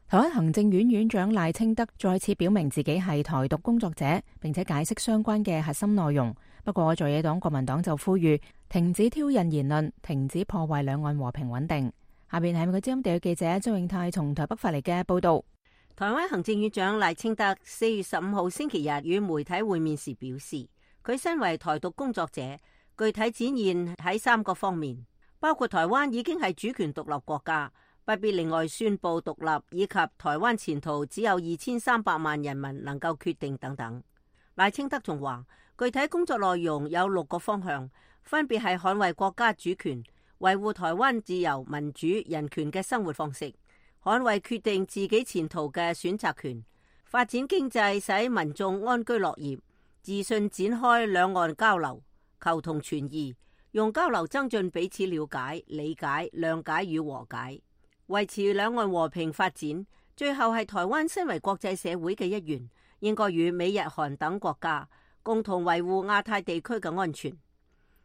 台灣行政院院長賴清德再次表明自己係台獨工作者，並且解釋相關嘅核心內容。不過在野黨國民黨就呼籲停止挑釁言論，停止破壞兩岸和平穩定。下邊係美國之音地區記者周永泰從台北發嚟嘅報道。台灣行政院長賴清德四月十五號星期日與媒體會面時表示，佢身為台獨工作者，具體展現喺三個方面，包括台灣已經係主權獨立國家，不必另外宣布獨立，以及台灣前途只有二千三百萬人民能夠決定等等。賴清德仲話，具體工作內容有六個方向，分別係捍衛國家主權、維護台灣自由、民主、人權嘅生活方式、捍衛決定自己前途嘅選擇權、發展經濟使民眾安居樂業、自信展開兩岸交流、求同存異，用交流增進彼此了解、理解、諒解與和解，維持兩岸和平發展。最後係台灣身為國際社會嘅一員，應該與美日韓等國家共同維護亞太地區嘅安全。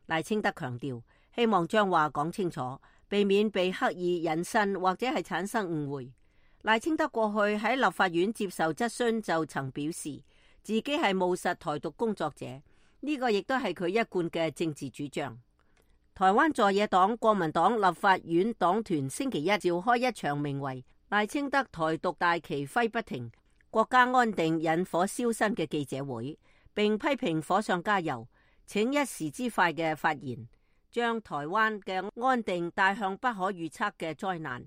賴清德強調，希望將話講清楚，避免被刻意引申或者係產生誤會。賴清德過去喺立法院接受質詢就曾表示，自己係務實台獨工作者，呢個亦都係佢一貫嘅政治主張。台灣在野黨國民黨立法院黨團星期一召開一場名為賴清德台獨大旗揮不停，國家安定引火燒身嘅記者會，並批評火上加油，請一時之快嘅發言，將台灣嘅安定帶向不可預測嘅災難。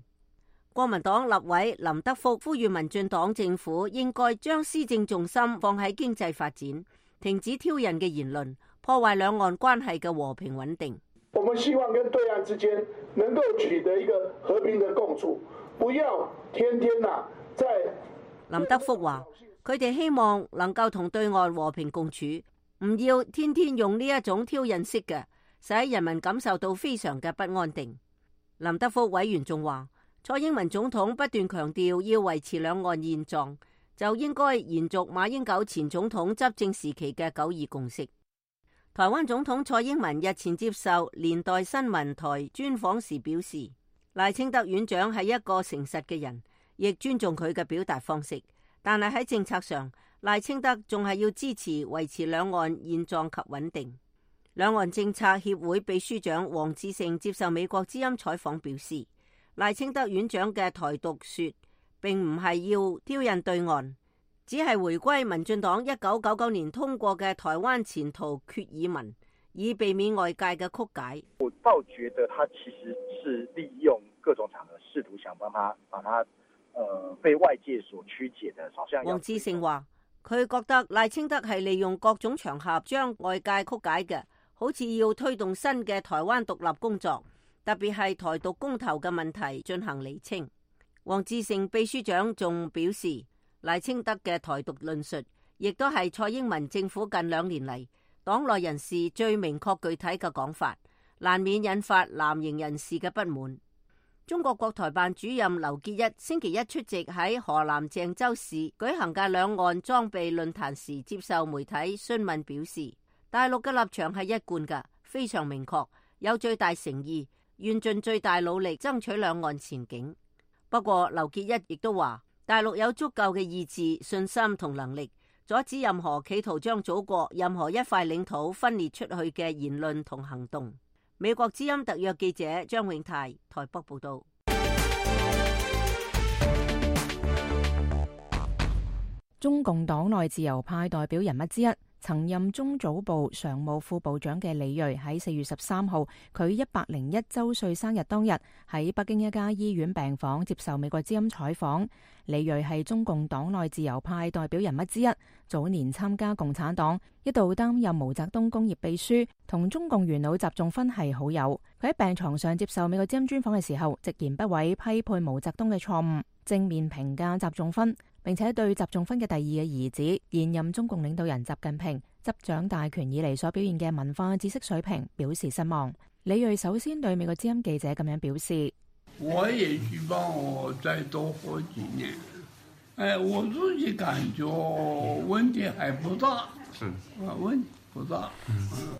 國民黨立委林德福呼籲民進黨政府應該將施政重心放喺經濟發展，停止挑釁嘅言論，破壞兩岸關係嘅和平穩定。我們希望跟對岸之間能夠取得一個和平的共處，不要天天啊在。林德福話，佢哋希望能夠同對岸和平共處，唔要天天用呢一種挑釁式嘅，使人民感受到非常嘅不安定。林德福委員仲話，蔡英文總統不斷強調要維持兩岸現狀，就應該延續馬英九前總統執政時期嘅九二共識。台灣總統蔡英文日前接受年代新聞台專訪時表示，賴清德院長係一個誠實嘅人，亦尊重佢嘅表達方式，但係喺政策上，賴清德仲係要支持維持兩岸現狀及穩定。兩岸政策協會秘書長黃志勝接受美國之音採訪表示，賴清德院長嘅台獨說並唔係要挑釁對岸，只係回歸民進黨一九九九年通過嘅台灣前途決議文，以避免外界嘅曲解。我倒覺得他其實是利用各種場合試圖想幫他把他、呃、被外界所曲解的，好像。黃志勝話，佢覺得賴清德係利用各種場合將外界曲解嘅，好似要推動新嘅台灣獨立工作，特別係台獨公投嘅問題進行釐清。黃志勝秘書長仲表示，賴清德嘅台獨論述，亦都係蔡英文政府近兩年嚟黨內人士最明確具體嘅講法，難免引發藍營人士嘅不滿。中國國台辦主任劉結一星期一出席喺河南鄭州市舉行嘅兩岸裝備論壇時，接受媒體詢問表示，大陸嘅立場係一貫嘅，非常明確，有最大誠意，願盡最大努力爭取兩岸前景。不過劉結一亦都話，大陸有足夠嘅意志、信心同能力，阻止任何企圖將祖國任何一塊領土分裂出去嘅言論同行動。美國之音特約記者張永泰台北報道。中共黨內自由派代表人物之一，曾任中組部常務副部長嘅李銳喺四月十三號，佢一百零一週歲生日當日喺北京一家醫院病房接受美國之音採訪。李銳係中共黨內自由派代表人物之一，早年參加共產黨，一度擔任毛澤東工業秘書，同中共元老習仲勳係好友。佢喺病床上接受美國之音專訪嘅時候，直言不諱批判毛澤東嘅錯誤，正面評價習仲勳，並且對習仲勳嘅第二嘅兒子現任中共領導人習近平執掌大權以嚟所表現嘅文化知識水平表示失望。李銳首先對美國之音記者咁樣表示：我也希望我再多活幾年。哎，我自己感覺問題還不大，嗯，問題不大。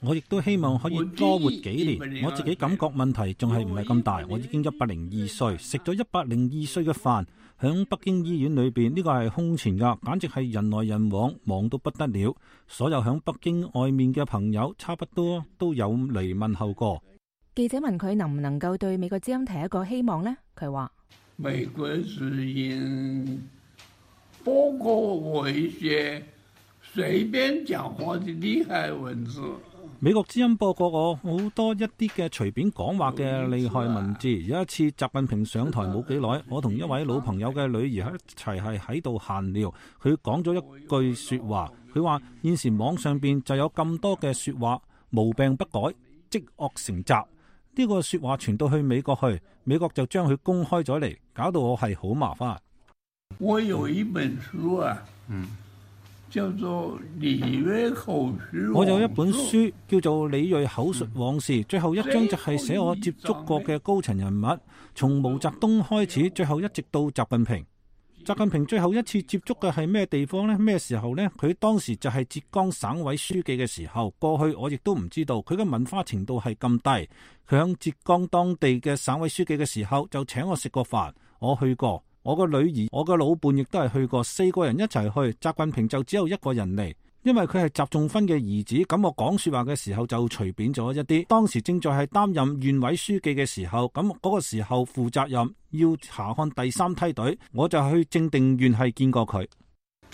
我亦都希望可以多活幾年。我自己感覺問題仲係唔係咁大。我已經一百零二歲，食咗一百零二歲嘅飯，響北京醫院裏邊，呢個係空前噶，簡直係人來人往，忙到不得了。所有響北京外面嘅朋友，差不多都有嚟問候過。記者問佢能唔能夠對美國之音提一個希望呢？佢話：美國之音包括我一些隨便講話的厲害文字。美國之音播過我好多一啲嘅隨便講話嘅厲害文字。有一次習近平上台冇幾耐，我同一位老朋友嘅女兒一齊係喺度閒聊，佢講咗一句說話，佢話現時網上邊就有咁多嘅說話，無病不改，積惡成習。呢個說話傳到去美國去，美國就將佢公開咗嚟，搞到我係好麻煩。我有一本書啊，嗯，叫做李銳口述。我有一本書叫做《李銳口述往事》，最後一章就係寫我接觸過嘅高層人物，從毛澤東開始，最後一直到習近平。習近平最後一次接觸嘅係咩地方呢？咩時候呢？佢當時就係浙江省委書記嘅時候。過去我亦都唔知道佢嘅文化程度係咁低。佢響浙江當地嘅省委書記嘅時候就請我食過飯，我去過。我個女兒、我個老伴亦都係去過，四個人一齊去。習近平就只有一個人嚟，因為佢係習仲勳嘅兒子。咁我講說話嘅時候就隨便咗一啲。當時正在係擔任縣委書記嘅時候，咁嗰個時候負責任要查看第三梯隊，我就去正定縣係見過佢。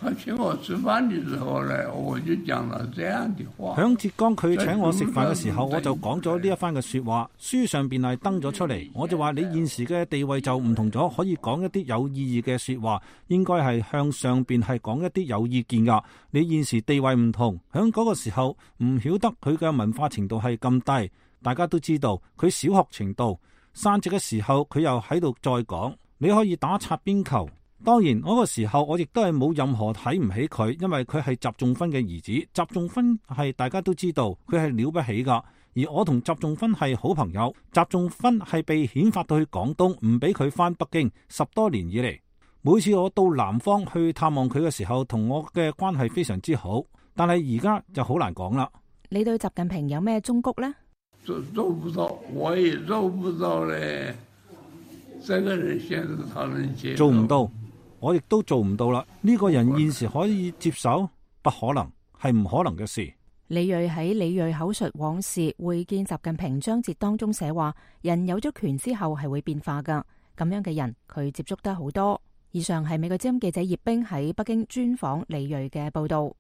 他請我吃飯嘅時候呢，我就講了這樣的話。響浙江佢請我食飯嘅時候，我就講咗呢一番嘅說話，書上邊係登咗出嚟。我就話你現時嘅地位就唔同咗，可以講一啲有意義嘅說話，應該係向上邊係講一啲有意見噶。你現時地位唔同，響嗰個時候唔曉得佢嘅文化程度係咁低，大家都知道佢小學程度，散席嘅時候佢又喺度再講，你可以打擦邊球。當然嗰個時候我亦都係冇任何睇唔起佢，因為佢係習仲勳嘅兒子。習仲勳係大家都知道佢係了不起噶，而我同習仲勳係好朋友。習仲勳係被遣發到去廣東，唔俾佢翻北京，十多年以嚟，每次我到南方去探望佢嘅時候，同我嘅關係非常之好。但係而家就好難講啦。你對習近平有咩忠告呢？做做不到，我也做不到咧。這個人現在他能接受，做唔到。我亦都做唔到啦！呢個人現時可以接受？不可能，係唔可能嘅事。李銳喺李銳口述往事會見習近平章節當中寫話：人有咗權之後係會變化噶。咁樣嘅人，佢接觸得好多。以上係美國之音記者葉冰喺北京專訪李銳嘅報道。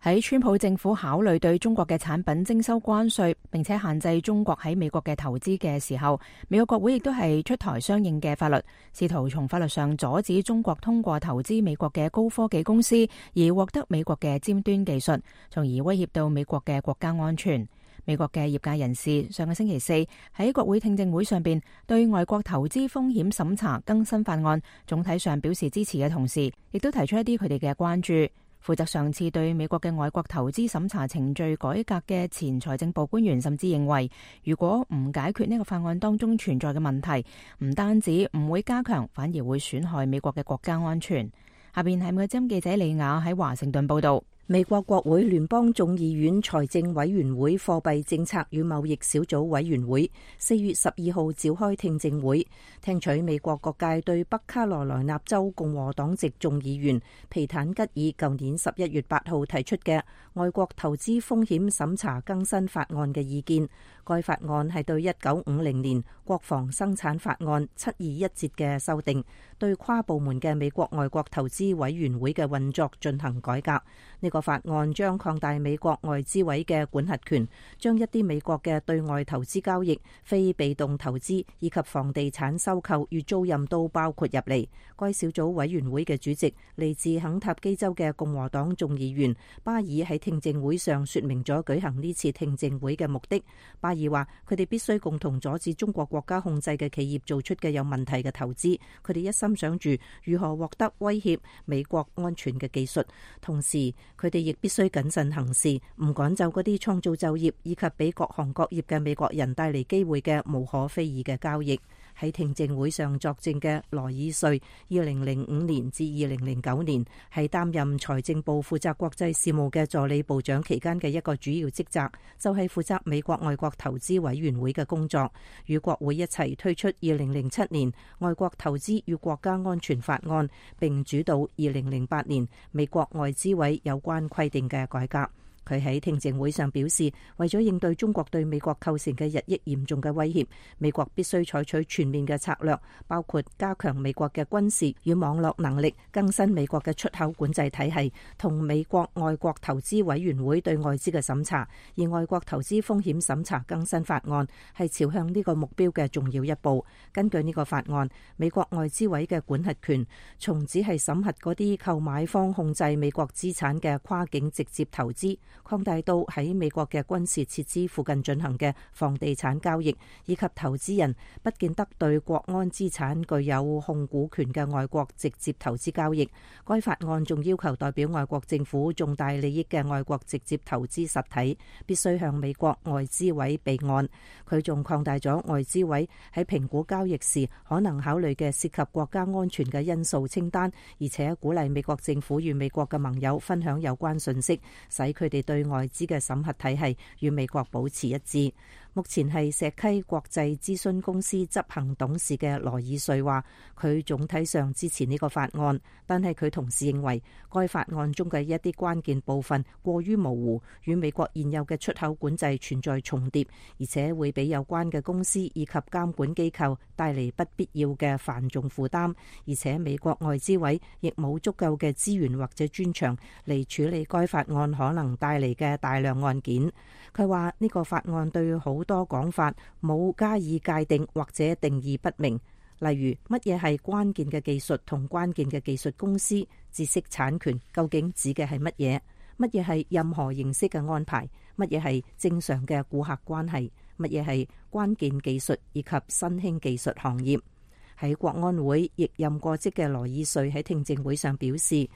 喺川普政府考慮對中國嘅產品徵收關稅，並且限制中國喺美國嘅投資嘅時候，美國國會亦都係出台相應嘅法律，試圖從法律上阻止中國通過投資美國嘅高科技公司而獲得美國嘅尖端技術，從而威脅到美國嘅國家安全。美國嘅業界人士上個星期四喺國會聽證會上邊對外國投資風險審查更新法案總體上表示支持嘅同時，亦都提出一啲佢哋嘅關注。負責上次對美國嘅外國投資審查程序改革嘅前財政部官員甚至認為，如果唔解決呢個法案當中存在嘅問題，唔單止唔會加強，反而會損害美國嘅國家安全。下邊係美國之音記者李雅喺華盛頓報道。美國國會聯邦眾議院財政委員會貨幣政策與貿易小組委員會四月十二號召開聽證會，聽取美國各界對北卡羅來納州共和黨籍眾議員皮坦吉爾舊年十一月八號提出嘅外國投資風險審查更新法案嘅意見。該法案係對一九五零年國防生產法案七二一節嘅修訂，對跨部門嘅美國外國投資委員會嘅運作進行改革。呢個法案將擴大美國外資委嘅管轄權，將一啲美國嘅對外投資交易、非被動投資以及房地產收購與租賃都包括入嚟。該小組委員會嘅主席嚟自肯塔基州嘅共和黨眾議員巴爾喺聽證會上說明咗舉行呢次聽證會嘅目的。巴爾話佢哋必須共同阻止中國國家控制嘅企業做出嘅有問題嘅投資，佢哋一心想住如何獲得威脅美國安全嘅技術，同時佢哋亦必須謹慎行事，唔趕走嗰啲創造就業以及俾各行各業嘅美國人帶嚟機會嘅無可非議嘅交易。喺聽證會上作證嘅羅爾瑞，二零零五年至二零零九年係擔任財政部負責國際事務嘅助理部長期間嘅一個主要職責，就係負責美國外國投資委員會嘅工作，與國會一齊推出二零零七年外國投資與國家安全法案，並主導二零零八年美國外資委有關規定嘅改革。佢喺聽證會上表示，為咗應對中國對美國構成嘅日益嚴重嘅威脅，美國必須採取全面嘅策略，包括加強美國嘅軍事與網絡能力，更新美國嘅出口管制體系，同美國外國投資委員會對外資嘅審查。而外國投資風險審查更新法案係朝向呢個目標嘅重要一步。根據呢個法案，美國外資委嘅管轄權從只係審核嗰啲購買方控制美國資產嘅跨境直接投資，擴大到喺美國嘅軍事設施附近進行嘅房地產交易，以及投資人不見得對國安資產具有控股權嘅外國直接投資交易。該法案仲要求代表外國政府重大利益嘅外國直接投資實體必須向美國外資委備案。佢仲擴大咗外資委喺評估交易時可能考慮嘅涉及國家安全嘅因素清單，而且鼓勵美國政府與美國嘅盟友分享有關信息，使佢哋對外資嘅審核體系與美國保持一致。目前係石溪國際諮詢公司執行董事嘅羅爾瑞話，佢總體上支持呢個法案，但係佢同時認為該法案中嘅一啲關鍵部分過於模糊，與美國現有嘅出口管制存在重疊，而且會俾有關嘅公司以及監管機構帶嚟不必要嘅繁重負擔，而且美國外資委亦冇足夠嘅資源或者專長嚟處理該法案可能帶嚟嘅大量案件。佢話呢個法案對好多講法冇加以界定或者定義不明，例如乜嘢係關鍵嘅技術同關鍵嘅技術公司，知識產權究竟指嘅係乜嘢？乜嘢係任何形式嘅安排？乜嘢係正常嘅顧客關係？乜嘢係關鍵技術以及新興技術行業？喺國安會亦任過職嘅羅爾瑞喺聽證會上表示，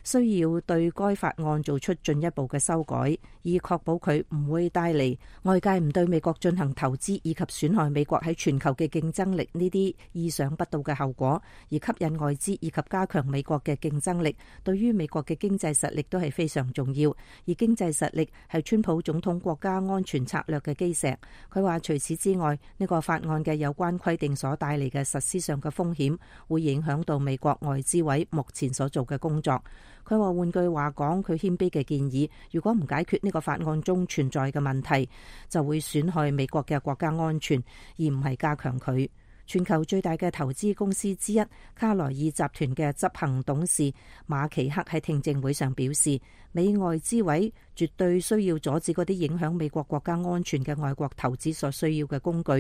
需要對該法案做出進一步嘅修改，以確保佢唔會帶嚟外界唔對美國進行投資以及損害美國喺全球嘅競爭力呢啲意想不到嘅後果，而吸引外資以及加強美國嘅競爭力，對於美國嘅經濟實力都係非常重要。而經濟實力係川普總統國家安全策略嘅基石。佢話除此之外，呢個法案嘅有關規定所帶嚟嘅實施上嘅風險，會影響到美國外資委目前所做嘅工作。佢話換句話講，佢謙卑嘅建議，如果唔解決呢個法案中存在嘅問題，就會損害美國嘅國家安全，而唔係加強佢。全球最大嘅投資公司之一卡萊爾集團嘅執行董事馬奇克喺聽證會上表示，美外資委絕對需要阻止嗰啲影響美國國家安全嘅外國投資所需要嘅工具，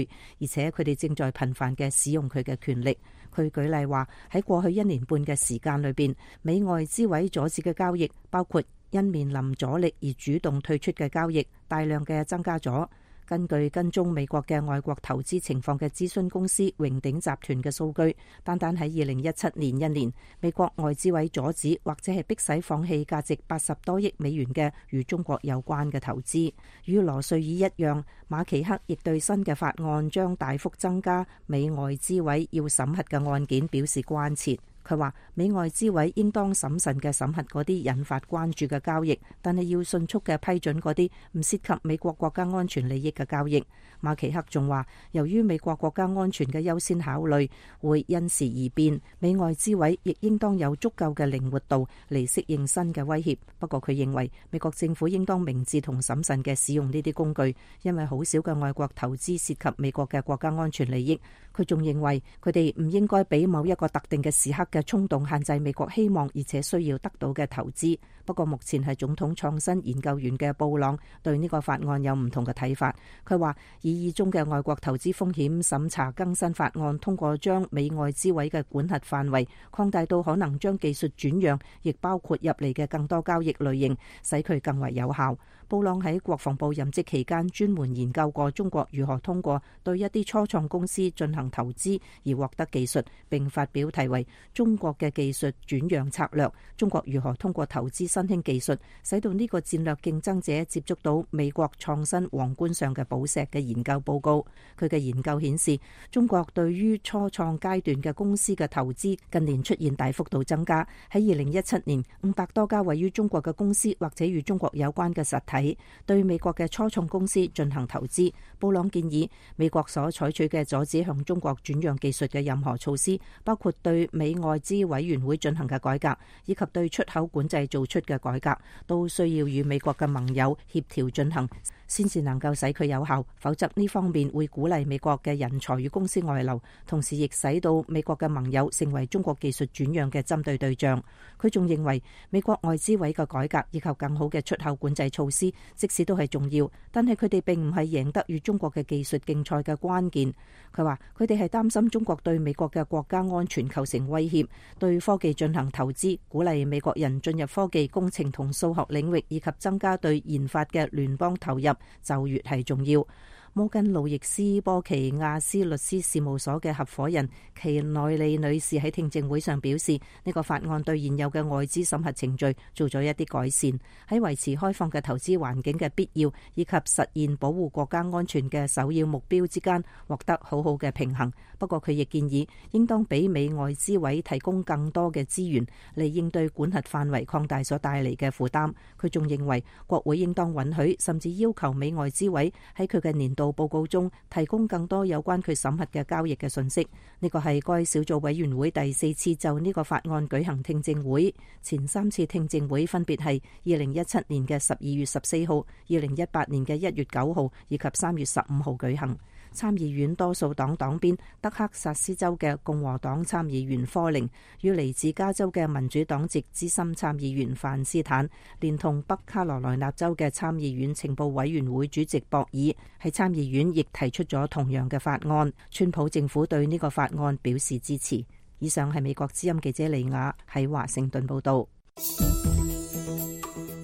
而且佢哋正在頻繁嘅使用佢嘅權力。佢舉例話，喺過去一年半嘅時間裏邊，美外資委阻止嘅交易，包括因面臨阻力而主動退出嘅交易，大量嘅增加咗。根據跟蹤美國嘅外國投資情況嘅諮詢公司榮鼎集團嘅數據，單單喺二零一七年一年，美國外資委阻止或者係迫使放棄價值八十多億美元嘅與中國有關嘅投資。與羅瑞爾一樣，馬奇克亦對新嘅法案將大幅增加美外資委要審核嘅案件表示關切。佢話美外資委應當審慎嘅審核嗰啲引發關注嘅交易，但係要迅速嘅批准嗰啲唔涉及美國國家安全利益嘅交易。馬奇克仲話，由於美國國家安全嘅優先考慮會因時而變，美外資委亦應當有足夠嘅靈活度嚟適應新嘅威脅。不過佢認為美國政府應當明智同審慎嘅使用呢啲工具，因為好少嘅外國投資涉及美國嘅國家安全利益。佢仲認為佢哋唔應該俾某一個特定嘅時刻嘅衝動限制美國希望而且需要得到嘅投資。不過目前係總統創新研究員嘅布朗對呢個法案有唔同嘅睇法。佢話擬議中嘅外國投資風險審查更新法案通過將美外資委嘅管轄範圍擴大到可能將技術轉讓，亦包括入嚟嘅更多交易類型，使佢更為有效。布朗喺國防部任職期間專門研究過中國如何通過對一啲初創公司進行投資而獲得技術，並發表題為《中國嘅技術轉讓策略：中國如何通過投資新興技術使到呢個戰略競爭者接觸到美國創新皇冠上嘅寶石》嘅研究報告。佢嘅研究顯示，中國對於初創階段嘅公司嘅投資近年出現大幅度增加。喺二零一七年，五百多家位於中國嘅公司或者與中國有關嘅實體對美國嘅初創公司進行投資。布朗建議美國所採取嘅阻止向中國轉讓技術嘅任何措施，包括對美外資委員會進行嘅改革，以及對出口管制做出嘅改革，都需要與美國嘅盟友協調進行，先至能夠使佢有效。否則呢方面會鼓勵美國嘅人才與公司外流，同時亦使到美國嘅盟友成為中國技術轉讓嘅針對對象。佢仲認為美國外資委嘅改革以及更好嘅出口管制措施，即使都係重要，但係佢哋並唔係贏得與中國嘅技術競賽嘅關鍵。佢話佢哋係擔心中國對美國嘅國家安全構成威脅，對科技進行投資，鼓勵美國人進入科技、工程同數學領域，以及增加對研發嘅聯邦投入，就越係重要。摩根路易斯波奇亞斯律師事務所嘅合夥人奇內利女士喺聽證會上表示，呢個法案對現有嘅外資審核程序做咗一啲改善，喺維持開放嘅投資環境嘅必要以及實現保護國家安全嘅首要目標之間獲得好好嘅平衡。不過佢亦建議應當俾美外資委提供更多嘅資源嚟應對管轄範圍擴大所帶嚟嘅負擔。佢仲認為國會應當允許甚至要求美外資委喺佢嘅年度報告中提供更多有關佢審核嘅交易嘅信息。呢個係該小組委員會第四次就呢個法案舉行聽證會，前三次聽證會分別係二零一七年嘅十二月十四號、二零一八年嘅一月九號以及三月十五號舉行。參議院多數黨黨鞭德克薩斯州嘅共和黨參議員科寧與嚟自加州嘅民主黨籍資深參議員范斯坦，連同北卡羅來納州嘅參議院情報委員會主席博爾喺參議院亦提出咗同樣嘅法案。川普政府對呢個法案表示支持。以上係美國之音記者李雅喺華盛頓報道。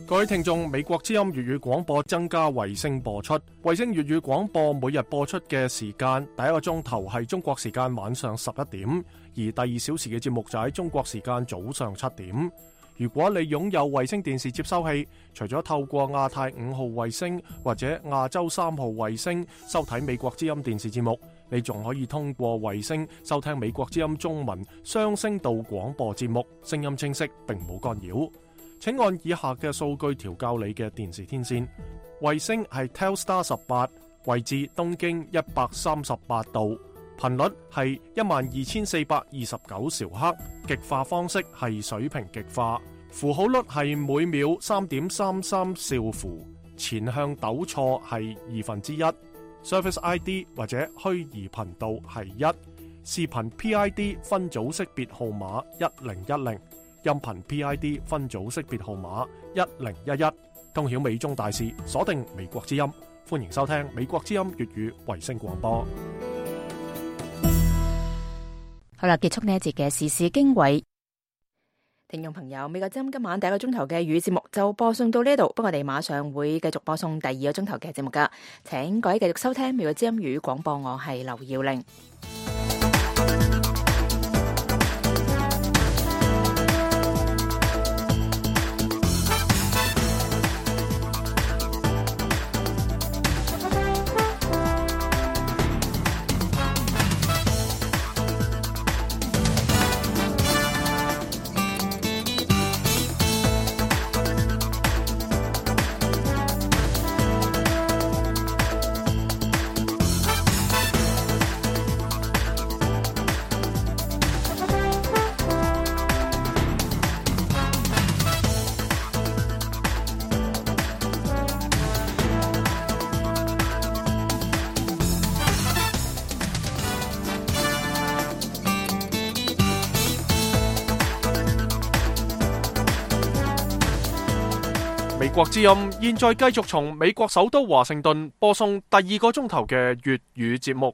各位聽眾，美國之音粵語廣播增加衛星播出，衛星粵語廣播每日播出嘅時間，第一個鐘頭係中國時間晚上十一點，而第二小時嘅節目就喺中國時間早上七點。如果你擁有衛星電視接收器，除咗透過亞太五號衛星或者亞洲三號衛星收睇美國之音電視節目，你仲可以通過衛星收聽美國之音中文雙聲道廣播節目，聲音清晰並冇干擾。請按以下嘅數據調校你嘅電視天線。衛星係 Telstar 十八，位置東經一百三十八度，頻率係一萬二千四百二十九兆赫，極化方式係水平極化，符號率係每秒三點三三兆符，前向抖錯係二分之一，Service I D 或者虛擬頻道係一，視頻 P I D 分組識別號碼一零一零。音頻 P I D 分組識別號碼一零一一，通曉美中大事，鎖定美國之音，歡迎收聽美國之音粵語衛星廣播。好啦，結束呢一節嘅時事經緯。聽眾朋友，美國之音今晚第一個鐘頭嘅粵語節目就播送到呢度，不過我哋馬上會繼續播送第二個鐘頭嘅節目噶，請各位繼續收聽美國之音粵語廣播，我係劉耀玲。國之音現在繼續從美國首都華盛頓播送第二個鐘頭嘅粵語節目。